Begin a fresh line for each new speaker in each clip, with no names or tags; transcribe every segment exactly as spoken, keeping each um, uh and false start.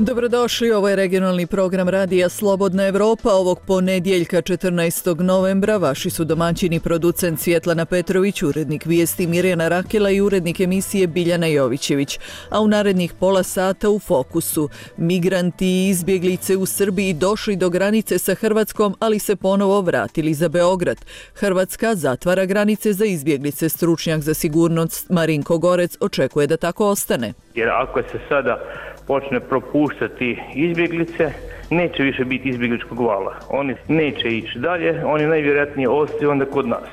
Dobrodošli, ovo je regionalni program Radija Slobodna Evropa. Ovog ponedjeljka četrnaestog novembra vaši su domaćini producent Svjetlana Petrović, urednik vijesti Mirjana Rakela i urednik emisije Biljana Jovićević. A u narednih pola sata u fokusu. Migranti i izbjeglice u Srbiji došli do granice sa Hrvatskom, ali se ponovo vratili za Beograd. Hrvatska zatvara granice za izbjeglice. Stručnjak za sigurnost Marinko Gorec očekuje da tako ostane.
Jer ako se sada počne propuštati izbjeglice, neće više biti izbjegličkog vala. Oni neće ići dalje, oni najvjerojatnije ostaju onda kod nas.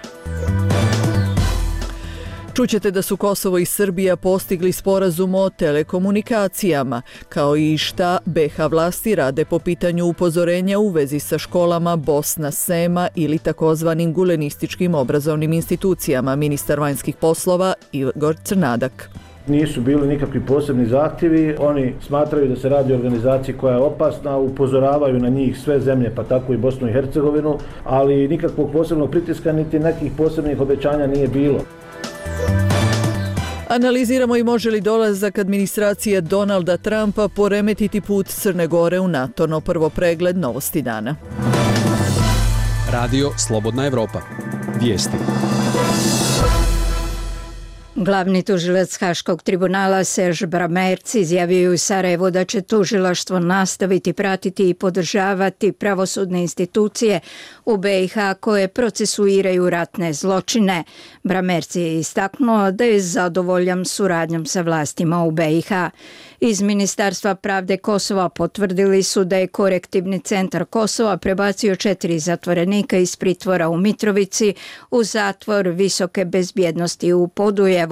Čućete da su Kosovo i Srbija postigli sporazum o telekomunikacijama, kao i šta be ha vlasti rade po pitanju upozorenja u vezi sa školama Bosna Sema ili takozvanim gulenističkim obrazovnim institucijama. Ministar vanjskih poslova Igor Crnadak.
Nisu bili nikakvi posebni zahtjevi, oni smatraju da se radi o organizaciji koja je opasna, upozoravaju na njih sve zemlje, pa tako i Bosnu i Hercegovinu, ali nikakvog posebnog pritiska niti nekih posebnih obećanja nije bilo.
Analiziramo i može li dolazak administracije Donalda Trumpa poremetiti put Crne Gore u NATO, no prvo pregled novosti dana.
Radio Slobodna Evropa. Vijesti.
Glavni tužilac Haškog tribunala Serge Bramerc izjavio u Sarajevu da će tužilaštvo nastaviti pratiti i podržavati pravosudne institucije u be i ha koje procesuiraju ratne zločine. Bramerc je istaknuo da je zadovoljan suradnjom sa vlastima u be i ha. Iz Ministarstva pravde Kosova potvrdili su da je korektivni centar Kosova prebacio četiri zatvorenika iz pritvora u Mitrovici u zatvor visoke bezbjednosti u Podujevu.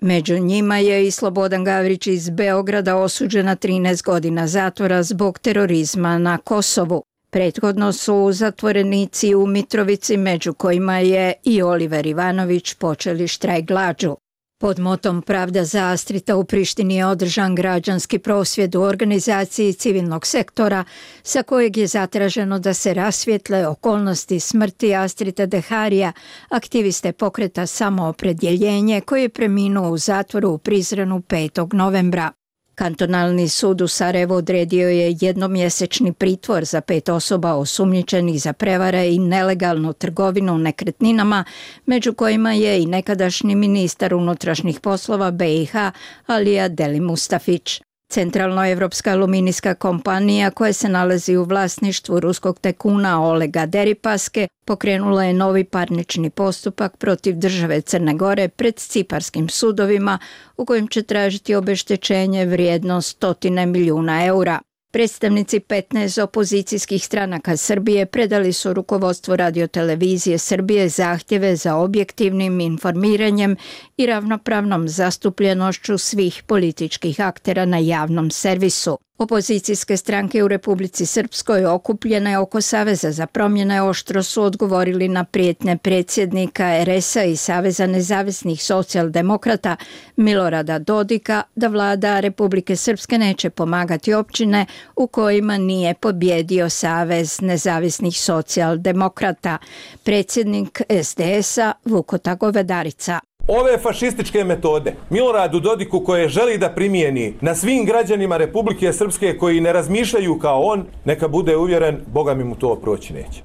Među njima je i Slobodan Gavrić iz Beograda osuđen na trinaest godina zatvora zbog terorizma na Kosovu. Prethodno su zatvorenici u Mitrovici, među kojima je i Oliver Ivanović, počeli štrajk glađu. Pod motom Pravda za Astrita u Prištini je održan građanski prosvjed u organizaciji civilnog sektora sa kojeg je zatraženo da se rasvijetle okolnosti smrti Astrita Deharija, aktiviste pokreta Samoopredjeljenje koji je preminuo u zatvoru u Prizrenu petog novembra. Kantonalni sud u Sarajevu odredio je jednomjesečni pritvor za pet osoba osumnjičenih za prevare i nelegalnu trgovinu nekretninama, među kojima je i nekadašnji ministar unutrašnjih poslova be i ha Alija Deli Mustafić. Centralnoevropska aluminijska kompanija koja se nalazi u vlasništvu ruskog tajkuna Olega Deripaske pokrenula je novi parnični postupak protiv države Crne Gore pred ciparskim sudovima u kojem će tražiti obeštećenje vrijedno stotine milijuna eura. Predstavnici petnaest opozicijskih stranaka Srbije predali su rukovodstvu radiotelevizije Srbije zahtjeve za objektivnim informiranjem i ravnopravnom zastupljenošću svih političkih aktera na javnom servisu. Opozicijske stranke u Republici Srpskoj okupljene oko Saveza za promjene oštro su odgovorili na prijetnje predsjednika er es a i Saveza nezavisnih socijaldemokrata Milorada Dodika da vlada Republike Srpske neće pomagati općine u kojima nije pobjedio Savez nezavisnih socijaldemokrata. Predsjednik es de es a Vukota Govedarica.
Ove fašističke metode Miloradu Dodiku koje želi da primijeni na svim građanima Republike Srpske koji ne razmišljaju kao on, neka bude uvjeren, Boga mi mu to proći neće.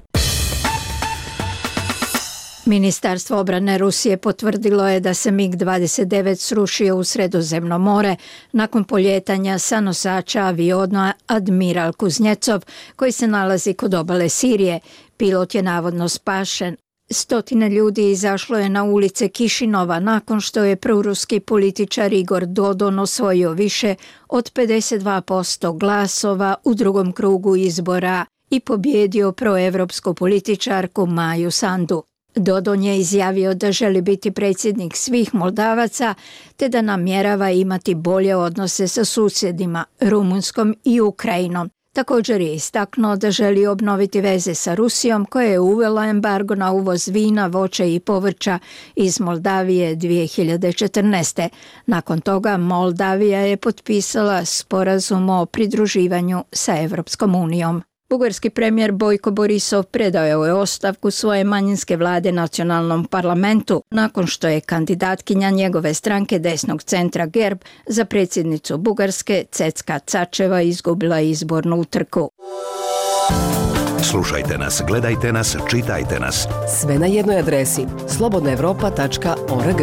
Ministarstvo obrane Rusije potvrdilo je da se mig dvadeset devet srušio u Sredozemno more nakon poljetanja sa nosača aviona Admiral Kuznjecov koji se nalazi kod obale Sirije. Pilot je navodno spašen. Stotine ljudi izašlo je na ulice Kišinova nakon što je proruski političar Igor Dodon osvojio više od pedeset dva posto glasova u drugom krugu izbora i pobjedio proevropsku političarku Maju Sandu. Dodon je izjavio da želi biti predsjednik svih Moldavaca te da namjerava imati bolje odnose sa susjedima Rumunjskom i Ukrajinom. Također je istaknuo da želi obnoviti veze sa Rusijom koja je uvela embargo na uvoz vina, voća i povrća iz Moldavije dvije hiljade četrnaeste. Nakon toga Moldavija je potpisala sporazum o pridruživanju sa Evropskom unijom. Bugarski premijer Bojko Borisov predao je ostavku svoje manjinske vlade nacionalnom parlamentu nakon što je kandidatkinja njegove stranke desnog centra Gerb za predsjednicu Bugarske Cecka Cačeva izgubila izbornu utrku.
Slušajte nas, gledajte nas, čitajte nas.
Sve na jednoj adresi slobodna evropa tačka org.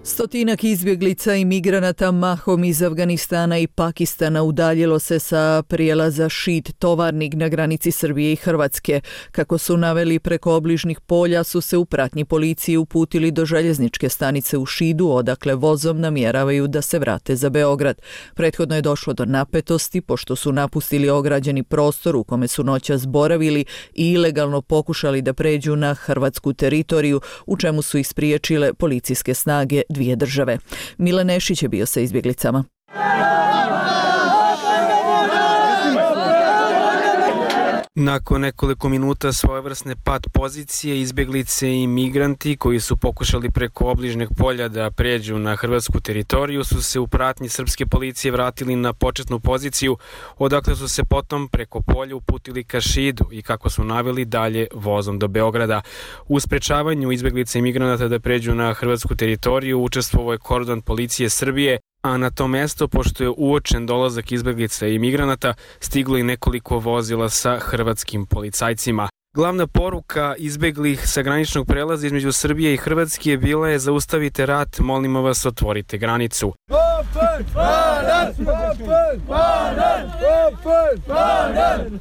Stotinak izbjeglica i migranata mahom iz Afganistana i Pakistana udaljilo se sa prijelaza Šid Tovarnik na granici Srbije i Hrvatske. Kako su naveli, preko obližnih polja su se u pratnji policije uputili do željezničke stanice u Šidu, odakle vozom namjeravaju da se vrate za Beograd. Prethodno je došlo do napetosti pošto su napustili ograđeni prostor u kome su noćas boravili i ilegalno pokušali da pređu na hrvatsku teritoriju, u čemu su ih spriječile policijske snage dvije države. Milan Nešić je bio sa izbjeglicama.
Nakon nekoliko minuta svojevrsne pad pozicije, izbjeglice i migranti koji su pokušali preko obližnjeg polja da pređu na hrvatsku teritoriju su se u pratnji srpske policije vratili na početnu poziciju, odakle su se potom preko polja uputili ka Šidu i, kako su naveli, dalje vozom do Beograda. U sprečavanju izbjeglica i migranata da pređu na hrvatsku teritoriju učestvovao je kordon policije Srbije, a na to mesto, pošto je uočen dolazak izbjeglica i migranata, stiglo i nekoliko vozila sa hrvatskim policajcima. Glavna poruka izbjeglih sa graničnog prelaza između Srbije i Hrvatske bila je: zaustavite rat, molimo vas, otvorite granicu.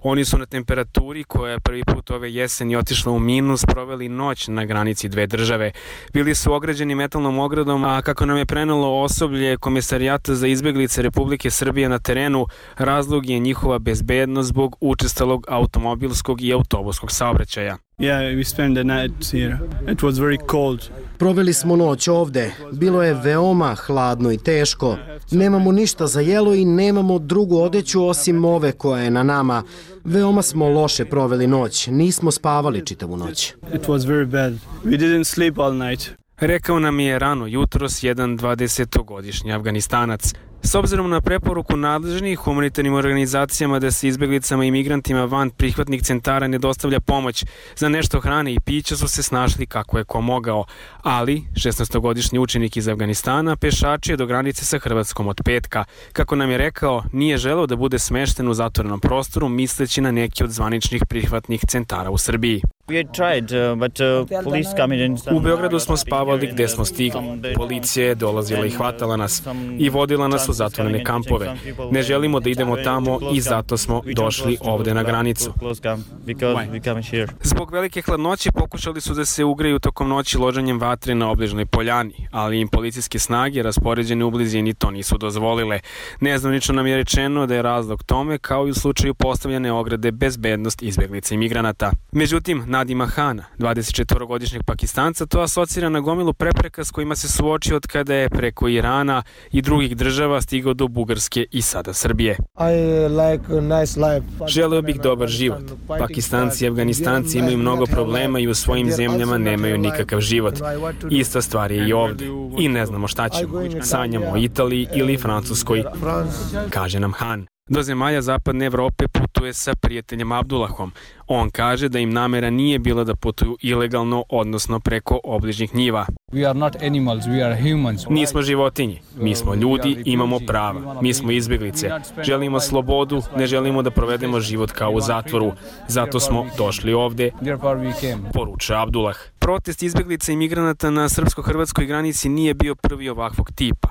Oni su na temperaturi koja je prvi put ove jeseni otišla u minus proveli noć na granici dve države. Bili su ograđeni metalnom ogradom, a kako nam je prenelo osoblje Komesarijata za izbjeglice Republike Srbije na terenu, razlog je njihova bezbednost zbog učestalog automobilskog i autobuskog saobraćaja.
Yeah, we spent the night here. It was very cold.
Proveli smo noć ovde. Bilo je veoma hladno i teško. Nemamo ništa za jelo i nemamo drugu odeću osim ove koja je na nama. Veoma smo loše proveli noć. Nismo spavali čitavu noć.
It was very bad. We didn't sleep all night.
Rekao nam je rano jutros jedan dvadesetogodišnji Afganistanac. S obzirom na preporuku nadležnih humanitarnim organizacijama da se izbjeglicama i migrantima van prihvatnih centara ne dostavlja pomoć, za nešto hrane i pića su se snašli kako je ko mogao. Ali, šesnaestogodišnji učenik iz Afganistana pešačio do granice sa Hrvatskom od petka. Kako nam je rekao, nije želeo da bude smešten u zatvorenom prostoru, misleći na neki od zvaničnih prihvatnih centara u Srbiji. U Beogradu smo spavali gde smo stigli. Policija je dolazila i hvatala nas i vodila nas u zatvorene kampove. Ne želimo da idemo tamo i zato smo došli ovde na granicu. Zbog velike hladnoće pokušali su da se ugreju tokom noći loženjem vatre na obližnoj poljani, ali im policijske snage raspoređene u blizini to nisu dozvolile. Nezvanično nam je rečeno da je razlog tome, kao i u slučaju postavljene ograde, bezbednost izbjeglica i migranata. Međutim, Nadima Hana, dvadesetčetvorogodišnjeg Pakistanca, to asocira na gomilu prepreka s kojima se suočio od kada je preko Irana i drugih država stigao do Bugarske i sada Srbije. Želeo bih dobar život. Pakistanci i Afganistanci imaju mnogo problema i u svojim zemljama nemaju nikakav život. Ista stvar je i ovdje. I ne znamo šta ćemo. Sanjamo o Italiji ili Francuskoj, kaže nam Han. Do zemalja zapadne Evrope putuje sa prijateljem Abdullahom. On kaže da im namera nije bila da putuju ilegalno, odnosno preko obližnjih njiva. Nismo životinje, mi smo ljudi, imamo prava, mi smo izbjeglice, želimo slobodu, ne želimo da provedemo život kao u zatvoru, zato smo došli ovde, poručuje Abdullah. Protest izbjeglica i migranata na srpsko-hrvatskoj granici nije bio prvi ovakvog tipa.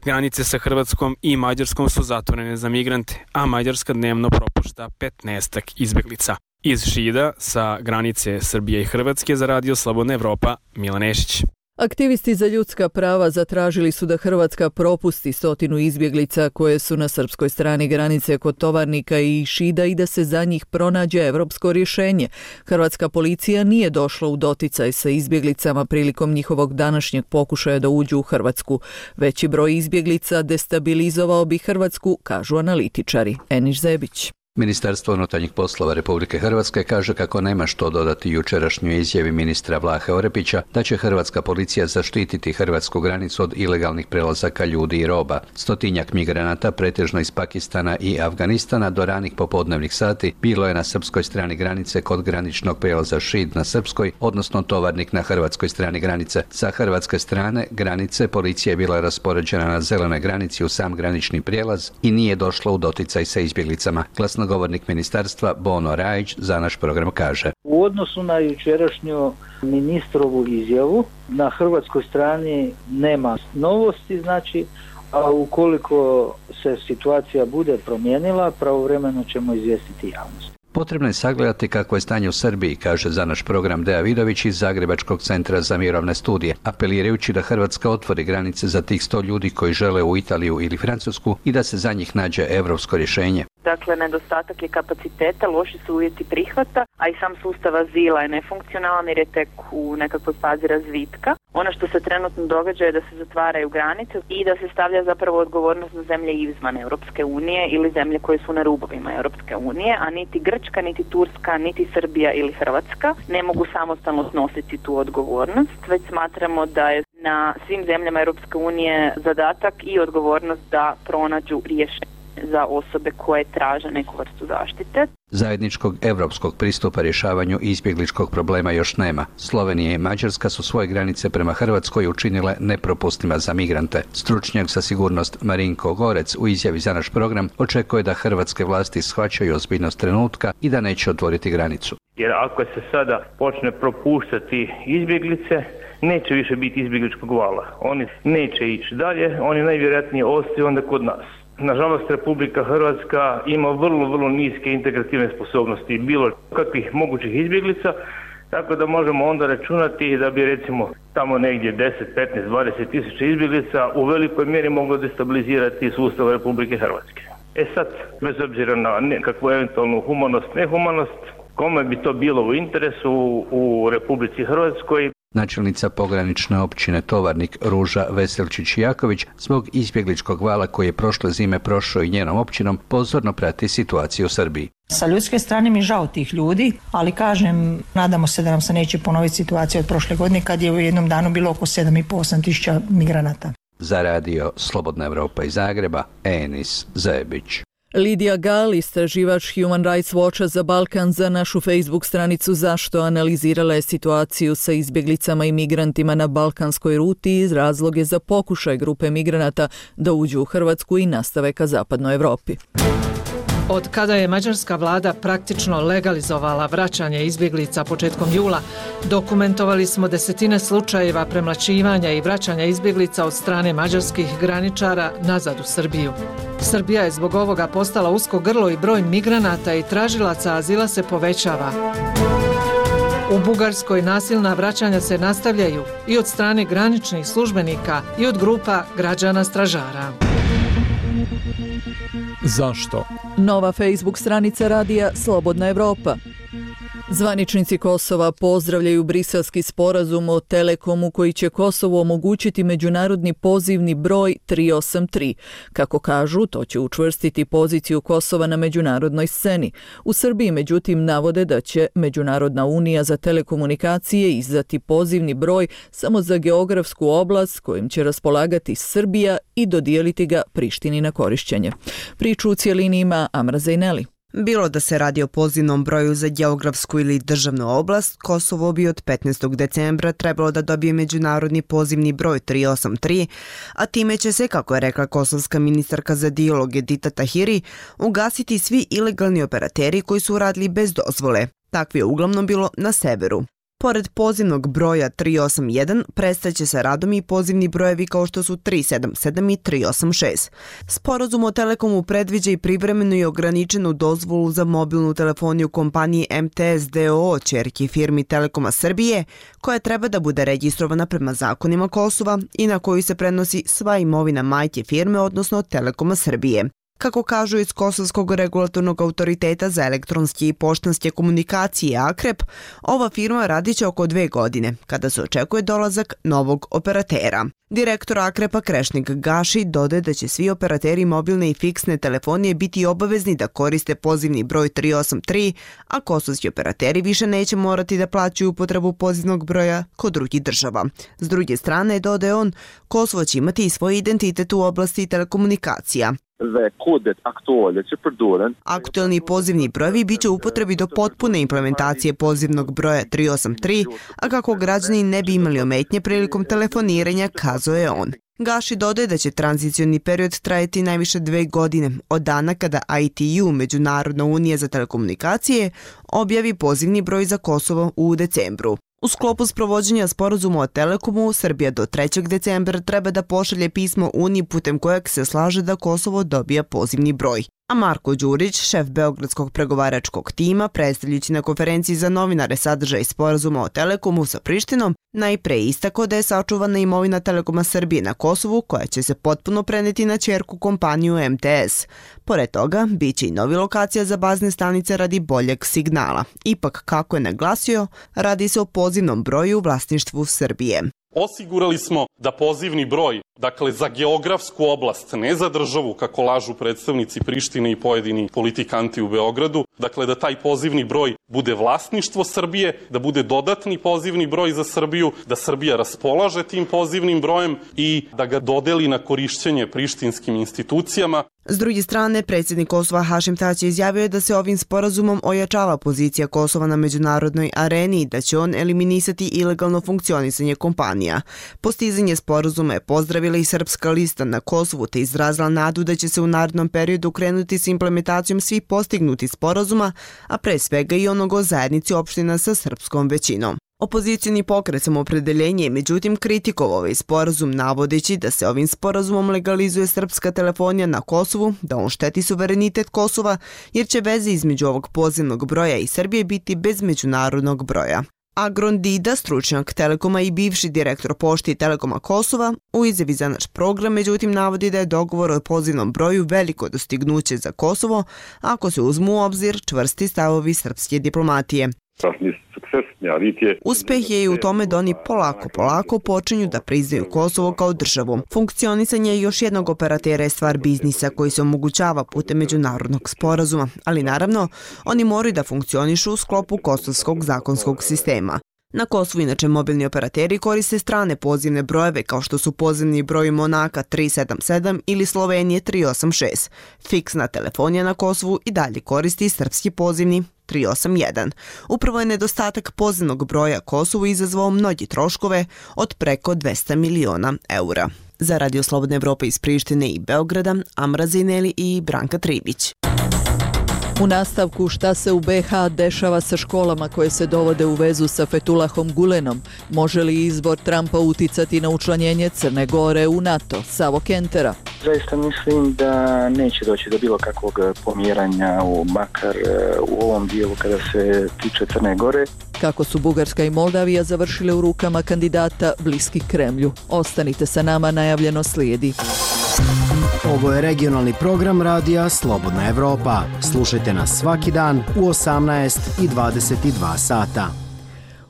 Granice sa Hrvatskom i Mađarskom su zatvorene za migrante, a Mađarska dnevno propušta petnaestak izbjeglica. Iz Šida, sa granice Srbije i Hrvatske, za Radio Slobodna Evropa, Milan Nešić.
Aktivisti za ljudska prava zatražili su da Hrvatska propusti stotinu izbjeglica koje su na srpskoj strani granice kod Tovarnika i Šida i da se za njih pronađe evropsko rješenje. Hrvatska policija nije došla u doticaj sa izbjeglicama prilikom njihovog današnjeg pokušaja da uđu u Hrvatsku. Veći broj izbjeglica destabilizovao bi Hrvatsku, kažu analitičari. Eniš Zebić.
Ministarstvo unutarnjih poslova Republike Hrvatske kaže kako nema što dodati jučerašnjoj izjavi ministra Vlahe Orepića da će hrvatska policija zaštititi hrvatsku granicu od ilegalnih prelazaka ljudi i roba. Stotinjak migranata, pretežno iz Pakistana i Afganistana, do ranih popodnevnih sati bilo je na srpskoj strani granice kod graničnog prijelaza Šid na srpskoj, odnosno Tovarnik na hrvatskoj strani granice. Sa hrvatske strane granice policija je bila raspoređena na zelenoj granici u sam granični prijelaz i nije došla u doticaj sa izbjeglicama. Glasnogovornik ministarstva Bono Rajić za naš program kaže:
U odnosu na jučerašnju ministrovu izjavu, na hrvatskoj strani nema novosti, znači, a ukoliko se situacija bude promijenila, pravovremeno ćemo izvijestiti javnost.
Potrebno je sagledati kako je stanje u Srbiji, kaže za naš program Deja Vidović iz Zagrebačkog centra za mirovne studije, apelirajući da Hrvatska otvori granice za tih sto ljudi koji žele u Italiju ili Francusku i da se za njih nađe europsko rješenje.
Dakle, nedostatak je kapaciteta, loši su uvjeti prihvata, a i sam sustav azila je nefunkcionalan jer je tek u nekakvoj fazi razvitka. Ono što se trenutno događa je da se zatvaraju granice i da se stavlja zapravo odgovornost na zemlje izvan Europske unije ili zemlje koje su na rubovima Europske unije, a niti Grčka, niti Turska, niti Srbija ili Hrvatska ne mogu samostalno snositi tu odgovornost, već smatramo da je na svim zemljama Europske unije zadatak i odgovornost da pronađu rješenje za osobe koje traže neku vrstu zaštite.
Zajedničkog europskog pristupa rješavanju izbjegličkog problema još nema. Slovenija i Mađarska su svoje granice prema Hrvatskoj učinile nepropustima za migrante. Stručnjak za sigurnost Marinko Gorec u izjavi za naš program očekuje da hrvatske vlasti shvaćaju ozbiljnost trenutka i da neće otvoriti granicu.
Jer ako se sada počne propuštati izbjeglice, neće više biti izbjegličkog vala. Oni neće ići dalje, oni najvjerojatnije ostaju onda kod nas. Nažalost, Republika Hrvatska ima vrlo, vrlo niske integrativne sposobnosti bilo kakvih mogućih izbjeglica, tako da možemo onda računati da bi recimo tamo negdje deset, petnaest, dvadeset tisuća izbjeglica u velikoj mjeri moglo destabilizirati sustav Republike Hrvatske. E sad, bez obzira na nekakvu eventualnu humanost, nehumanost, kome bi to bilo u interesu u Republici Hrvatskoj?
Načelnica pogranične općine Tovarnik Ruža Veselčić-Jaković zbog izbjegličkog vala koji je prošle zime prošao i njenom općinom pozorno prati situaciju u Srbiji.
Sa ljudske strane mi žao tih ljudi, ali kažem, nadamo se da nam se neće ponoviti situacija od prošle godine kad je u jednom danu bilo oko sedam i pol osam tisuća migranata.
Za radio Slobodna Evropa iz Zagreba, Enis Zebić.
Lidija Gal, istraživač Human Rights Watcha za Balkan, za našu Facebook stranicu Zašto analizirala je situaciju sa izbjeglicama i migrantima na balkanskoj ruti iz razloge za pokušaj grupe migranata da uđu u Hrvatsku i nastave ka zapadnoj Evropi.
Od kada je mađarska vlada praktično legalizovala vraćanje izbjeglica početkom jula, dokumentovali smo desetine slučajeva premlaćivanja i vraćanja izbjeglica od strane mađarskih graničara nazad u Srbiju. Srbija je zbog ovoga postala usko grlo i broj migranata i tražilaca azila se povećava. U Bugarskoj nasilna vraćanja se nastavljaju i od strane graničnih službenika i od grupa građana stražara.
Zašto?
Nova Facebook stranica radija Slobodna Evropa. Zvaničnici Kosova pozdravljaju briselski sporazum o Telekomu koji će Kosovu omogućiti međunarodni pozivni broj tri osam tri. Kako kažu, to će učvrstiti poziciju Kosova na međunarodnoj sceni. U Srbiji, međutim, navode da će Međunarodna unija za telekomunikacije izdati pozivni broj samo za geografsku oblast kojim će raspolagati Srbija i dodijeliti ga Prištini na korišćenje. Priču u cijelini ima Amra Zejneli.
Bilo da se radi o pozivnom broju za geografsku ili državnu oblast, Kosovo bi od petnaestog decembra trebalo da dobije međunarodni pozivni broj tri osam tri, a time će se, kako je rekla kosovska ministarka za dijalog Edita Tahiri, ugasiti svi ilegalni operateri koji su radili bez dozvole. Takvi je uglavnom bilo na severu. Pored pozivnog broja tri osam jedan, prestaće se radom i pozivni brojevi kao što su tri sedam sedam i tri osam šest. Sporazum o Telekomu predviđa i privremenu i ograničenu dozvolu za mobilnu telefoniju kompaniji M T S D O O, ćerki firmi Telekoma Srbije, koja treba da bude registrovana prema zakonima Kosova i na koju se prenosi sva imovina majke firme, odnosno Telekoma Srbije. Kako kažu iz Kosovskog regulatornog autoriteta za elektronske i poštanske komunikacije Akrep, ova firma radit će oko dve godine, kada se očekuje dolazak novog operatera. Direktor Akrepa Krešnik Gaši dodaje da će svi operateri mobilne i fiksne telefonije biti obavezni da koriste pozivni broj tri osam tri, a kosovski operateri više neće morati da plaćaju upotrebu pozivnog broja kod drugih država. S druge strane, dodaje on, Kosovo će imati i svoj identitet u oblasti telekomunikacija. Aktuelni pozivni brojevi bit će u upotrebi do potpune implementacije pozivnog broja tri osam tri, a kako građani ne bi imali ometnje prilikom telefoniranja, kazao je on. Gaši dodaje da će tranzicioni period trajati najviše dve godine, od dana kada I T U, Međunarodna unija za telekomunikacije, objavi pozivni broj za Kosovo u decembru. U sklopu sprovođenja sporazuma o Telekomu, Srbija do trećeg decembra treba da pošalje pismo Uniji putem kojeg se slaže da Kosovo dobija pozivni broj. A Marko Đurić, šef Beogradskog pregovaračkog tima, predstavljajući na konferenciji za novinare sadržaj sporazuma o Telekomu sa Prištinom, najpre istako da je sačuvana imovina Telekoma Srbije na Kosovu, koja će se potpuno preneti na ćerku kompaniju M T S. Pored toga, bit će i novi lokacija za bazne stanice radi boljeg signala. Ipak, kako je naglasio, radi se o pozivnom broju u vlasništvu Srbije.
Osigurali smo da pozivni broj, dakle za geografsku oblast, ne za državu, kako lažu predstavnici Prištine i pojedini politikanti u Beogradu, dakle da taj pozivni broj bude vlasništvo Srbije, da bude dodatni pozivni broj za Srbiju, da Srbija raspolaže tim pozivnim brojem i da ga dodeli na korišćenje prištinskim institucijama.
S druge strane, predsjednik Kosova Hašim Tači izjavio je da se ovim sporazumom ojačava pozicija Kosova na međunarodnoj areni i da će on eliminisati ilegalno funkcionisanje kompanija. Postizanje sporazuma je pozdravila i Srpska lista na Kosovu te izrazila nadu da će se u narednom periodu krenuti s implementacijom svih postignutih sporazuma, a pre svega i onog o zajednici opština sa srpskom većinom. Opozicijni pokret Samoopredeljenje je međutim kritikovao ovaj sporazum navodeći da se ovim sporazumom legalizuje srpska telefonija na Kosovu, da on šteti suverenitet Kosova jer će veze između ovog pozivnog broja i Srbije biti bez međunarodnog broja. Agron Dida, stručnjak Telekoma i bivši direktor pošte i Telekoma Kosova, u izjavi za naš program međutim navodi da je dogovor o pozivnom broju veliko dostignuće za Kosovo ako se uzmu u obzir čvrsti stavovi srpske diplomatije. Uspeh je i u tome da oni polako, polako počinju da priznaju Kosovo kao državu. Funkcionisanje još jednog operatera je stvar biznisa koji se omogućava putem međunarodnog sporazuma, ali naravno, oni moraju da funkcionišu u sklopu kosovskog zakonskog sistema. Na Kosovu inače mobilni operateri koriste strane pozivne brojeve kao što su pozivni broj Monaka tri sedam sedam ili Slovenije tri osam šest. Fiksna telefonija na Kosovu i dalje koristi srpski pozivni tri osam jedan. Upravo je nedostatak pozivnog broja Kosovu izazvao mnogi troškove od preko dvesta miliona eura. Za Radio Slobodne Evrope iz Prištine i Beograda, Amra Zineli i Branka Tribić.
U nastavku šta se u B H dešava sa školama koje se dovode u vezu sa Fetulahom Gulenom, može li izbor Trumpa uticati na učlanjenje Crne Gore u NATO? Savo Kentera.
Zaista mislim da neće doći do bilo kakvog pomjeranja, u makar u ovom dijelu kada se tiče Crne Gore.
Kako su Bugarska i Moldavija završile u rukama kandidata bliski Kremlju. Ostanite sa nama, najavljeno slijedi.
Ovo je regionalni program radija Slobodna Evropa. Slušajte nas svaki dan u osamnaest i dvadeset dva sata.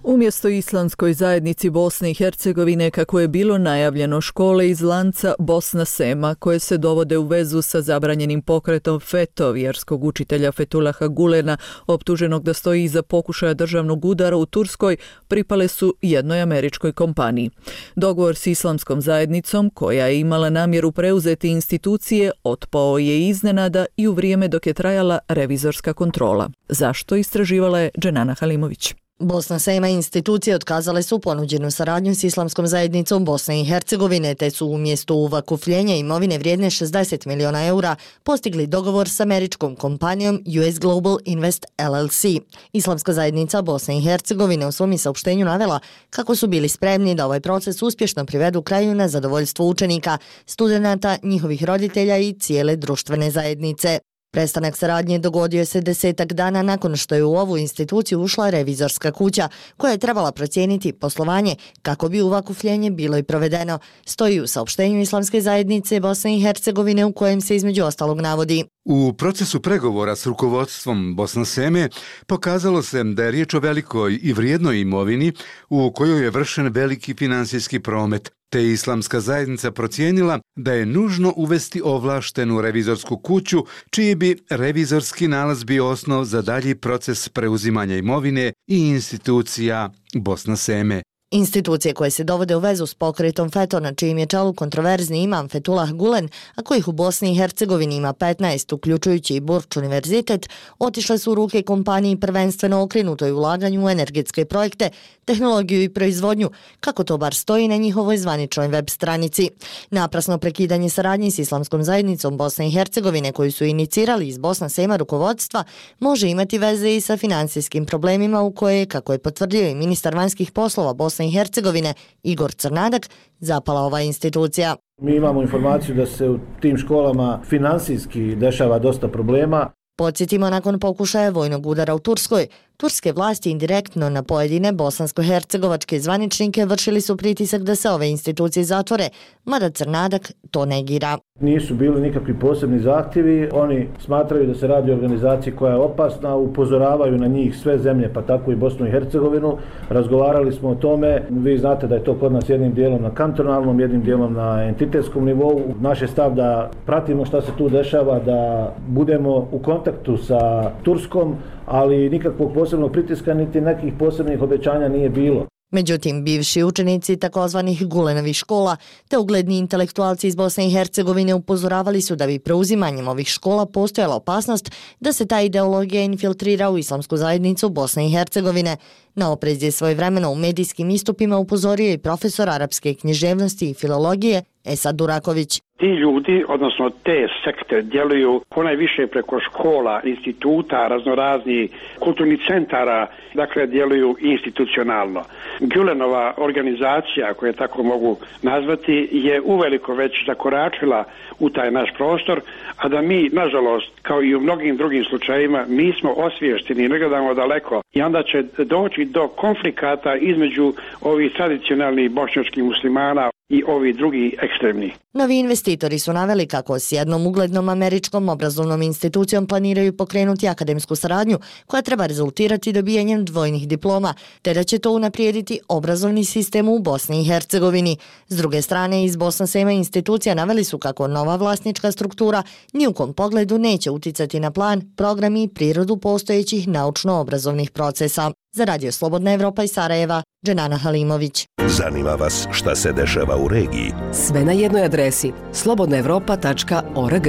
Umjesto islamskoj zajednici Bosne i Hercegovine, kako je bilo najavljeno, škole iz lanca Bosna Sema, koje se dovode u vezu sa zabranjenim pokretom FETO, vjerskog učitelja Fetulaha Gulena, optuženog da stoji iza pokušaja državnog udara u Turskoj, pripale su jednoj američkoj kompaniji. Dogovor s islamskom zajednicom, koja je imala namjeru preuzeti institucije, otpao je iznenada i u vrijeme dok je trajala revizorska kontrola. Zašto, istraživala je Dženana Halimović.
Bosna Sema i institucije otkazale su ponuđenu saradnju s islamskom zajednicom Bosne i Hercegovine, te su umjesto uvakufljenja imovine vrijedne šezdeset miliona eura postigli dogovor s američkom kompanijom U S Global Invest L L C. Islamska zajednica Bosne i Hercegovine u svom saopštenju navela kako su bili spremni da ovaj proces uspješno privedu kraju na zadovoljstvo učenika, studenata, njihovih roditelja i cijele društvene zajednice. Prestanak saradnje dogodio se desetak dana nakon što je u ovu instituciju ušla revizorska kuća, koja je trebala procijeniti poslovanje kako bi uvakufljenje bilo i provedeno, stoji u saopštenju Islamske zajednice Bosne i Hercegovine u kojem se između ostalog navodi.
U procesu pregovora s rukovodstvom Bosna Seme pokazalo se da je riječ o velikoj i vrijednoj imovini u kojoj je vršen veliki finansijski promet, te je Islamska zajednica procijenila da je nužno uvesti ovlaštenu revizorsku kuću, čiji bi revizorski nalaz bio osnov za dalji proces preuzimanja imovine i institucija Bosna Seme.
Institucije koje se dovode u vezu s pokretom FETO, na čijim je čelu kontroverzni imam Fethullah Gulen, a kojih u Bosni i Hercegovini ima petnaest, uključujući i Burč univerzitet, otišle su u ruke kompaniji prvenstveno okrenutoj ulaganju u energetske projekte, tehnologiju i proizvodnju, kako to bar stoji na njihovoj zvaničnoj web stranici. Naprasno prekidanje saradnje s Islamskom zajednicom Bosne i Hercegovine, koju su inicirali iz Bosna Sema rukovodstva, može imati veze i sa finansijskim problemima u koje, kako je potvrdio i ministar vanjskih poslova Bosne i Hercegovine Igor Crnadak, zapala ova institucija.
Mi imamo informaciju da se u tim školama finansijski dešava dosta problema.
Podsjetimo, nakon pokušaja vojnog udara u Turskoj, turske vlasti indirektno na pojedine bosansko-hercegovačke zvaničnike vršili su pritisak da se ove institucije zatvore, mada Crnadak to negira.
Nisu bili nikakvi posebni zahtjevi, oni smatraju da se radi o organizaciji koja je opasna, upozoravaju na njih sve zemlje, pa tako i Bosnu i Hercegovinu. Razgovarali smo o tome, vi znate da je to kod nas jednim dijelom na kantonalnom, jednim dijelom na entitetskom nivou. Naš je stav da pratimo šta se tu dešava, da budemo u kontaktu sa Turskom, ali nikakvog posebnog pritiska niti nekih posebnih obećanja nije bilo.
Međutim, bivši učenici takozvanih Gulenovih škola te ugledni intelektualci iz Bosne i Hercegovine upozoravali su da bi preuzimanjem ovih škola postojala opasnost da se ta ideologija infiltrira u Islamsku zajednicu Bosne i Hercegovine. Na oprez je svojevremeno u medijskim istupima upozorio i profesor arapske književnosti i filologije Esad Duraković.
Ti ljudi, odnosno te sekte, djeluju ponajviše preko škola, instituta, raznoraznih kulturnih centara, dakle djeluju institucionalno. Gülenova organizacija, koju tako mogu nazvati, je uveliko već zakoračila u taj naš prostor, a da mi, nažalost, kao i u mnogim drugim slučajevima, mi smo osviješteni i ne gledamo daleko i onda će doći do konflikata između ovih tradicionalnih bošnjačkih muslimana i ovi drugi ekstremni.
Novi investitori su naveli kako s jednom uglednom američkom obrazovnom institucijom planiraju pokrenuti akademsku saradnju koja treba rezultirati dobijanjem dvojnih diploma, te da će to unaprijediti obrazovni sistem u Bosni i Hercegovini. S druge strane, iz Bosna Sema institucija naveli su kako nova vlasnička struktura ni u kom pogledu neće uticati na plan, program i prirodu postojećih naučno-obrazovnih procesa. Za Radio Slobodna Evropa iz Sarajeva, Dženana Halimović.
Zanima vas šta se dešava u regiji?
Sve na jednoj adresi slobodna evropa tačka org.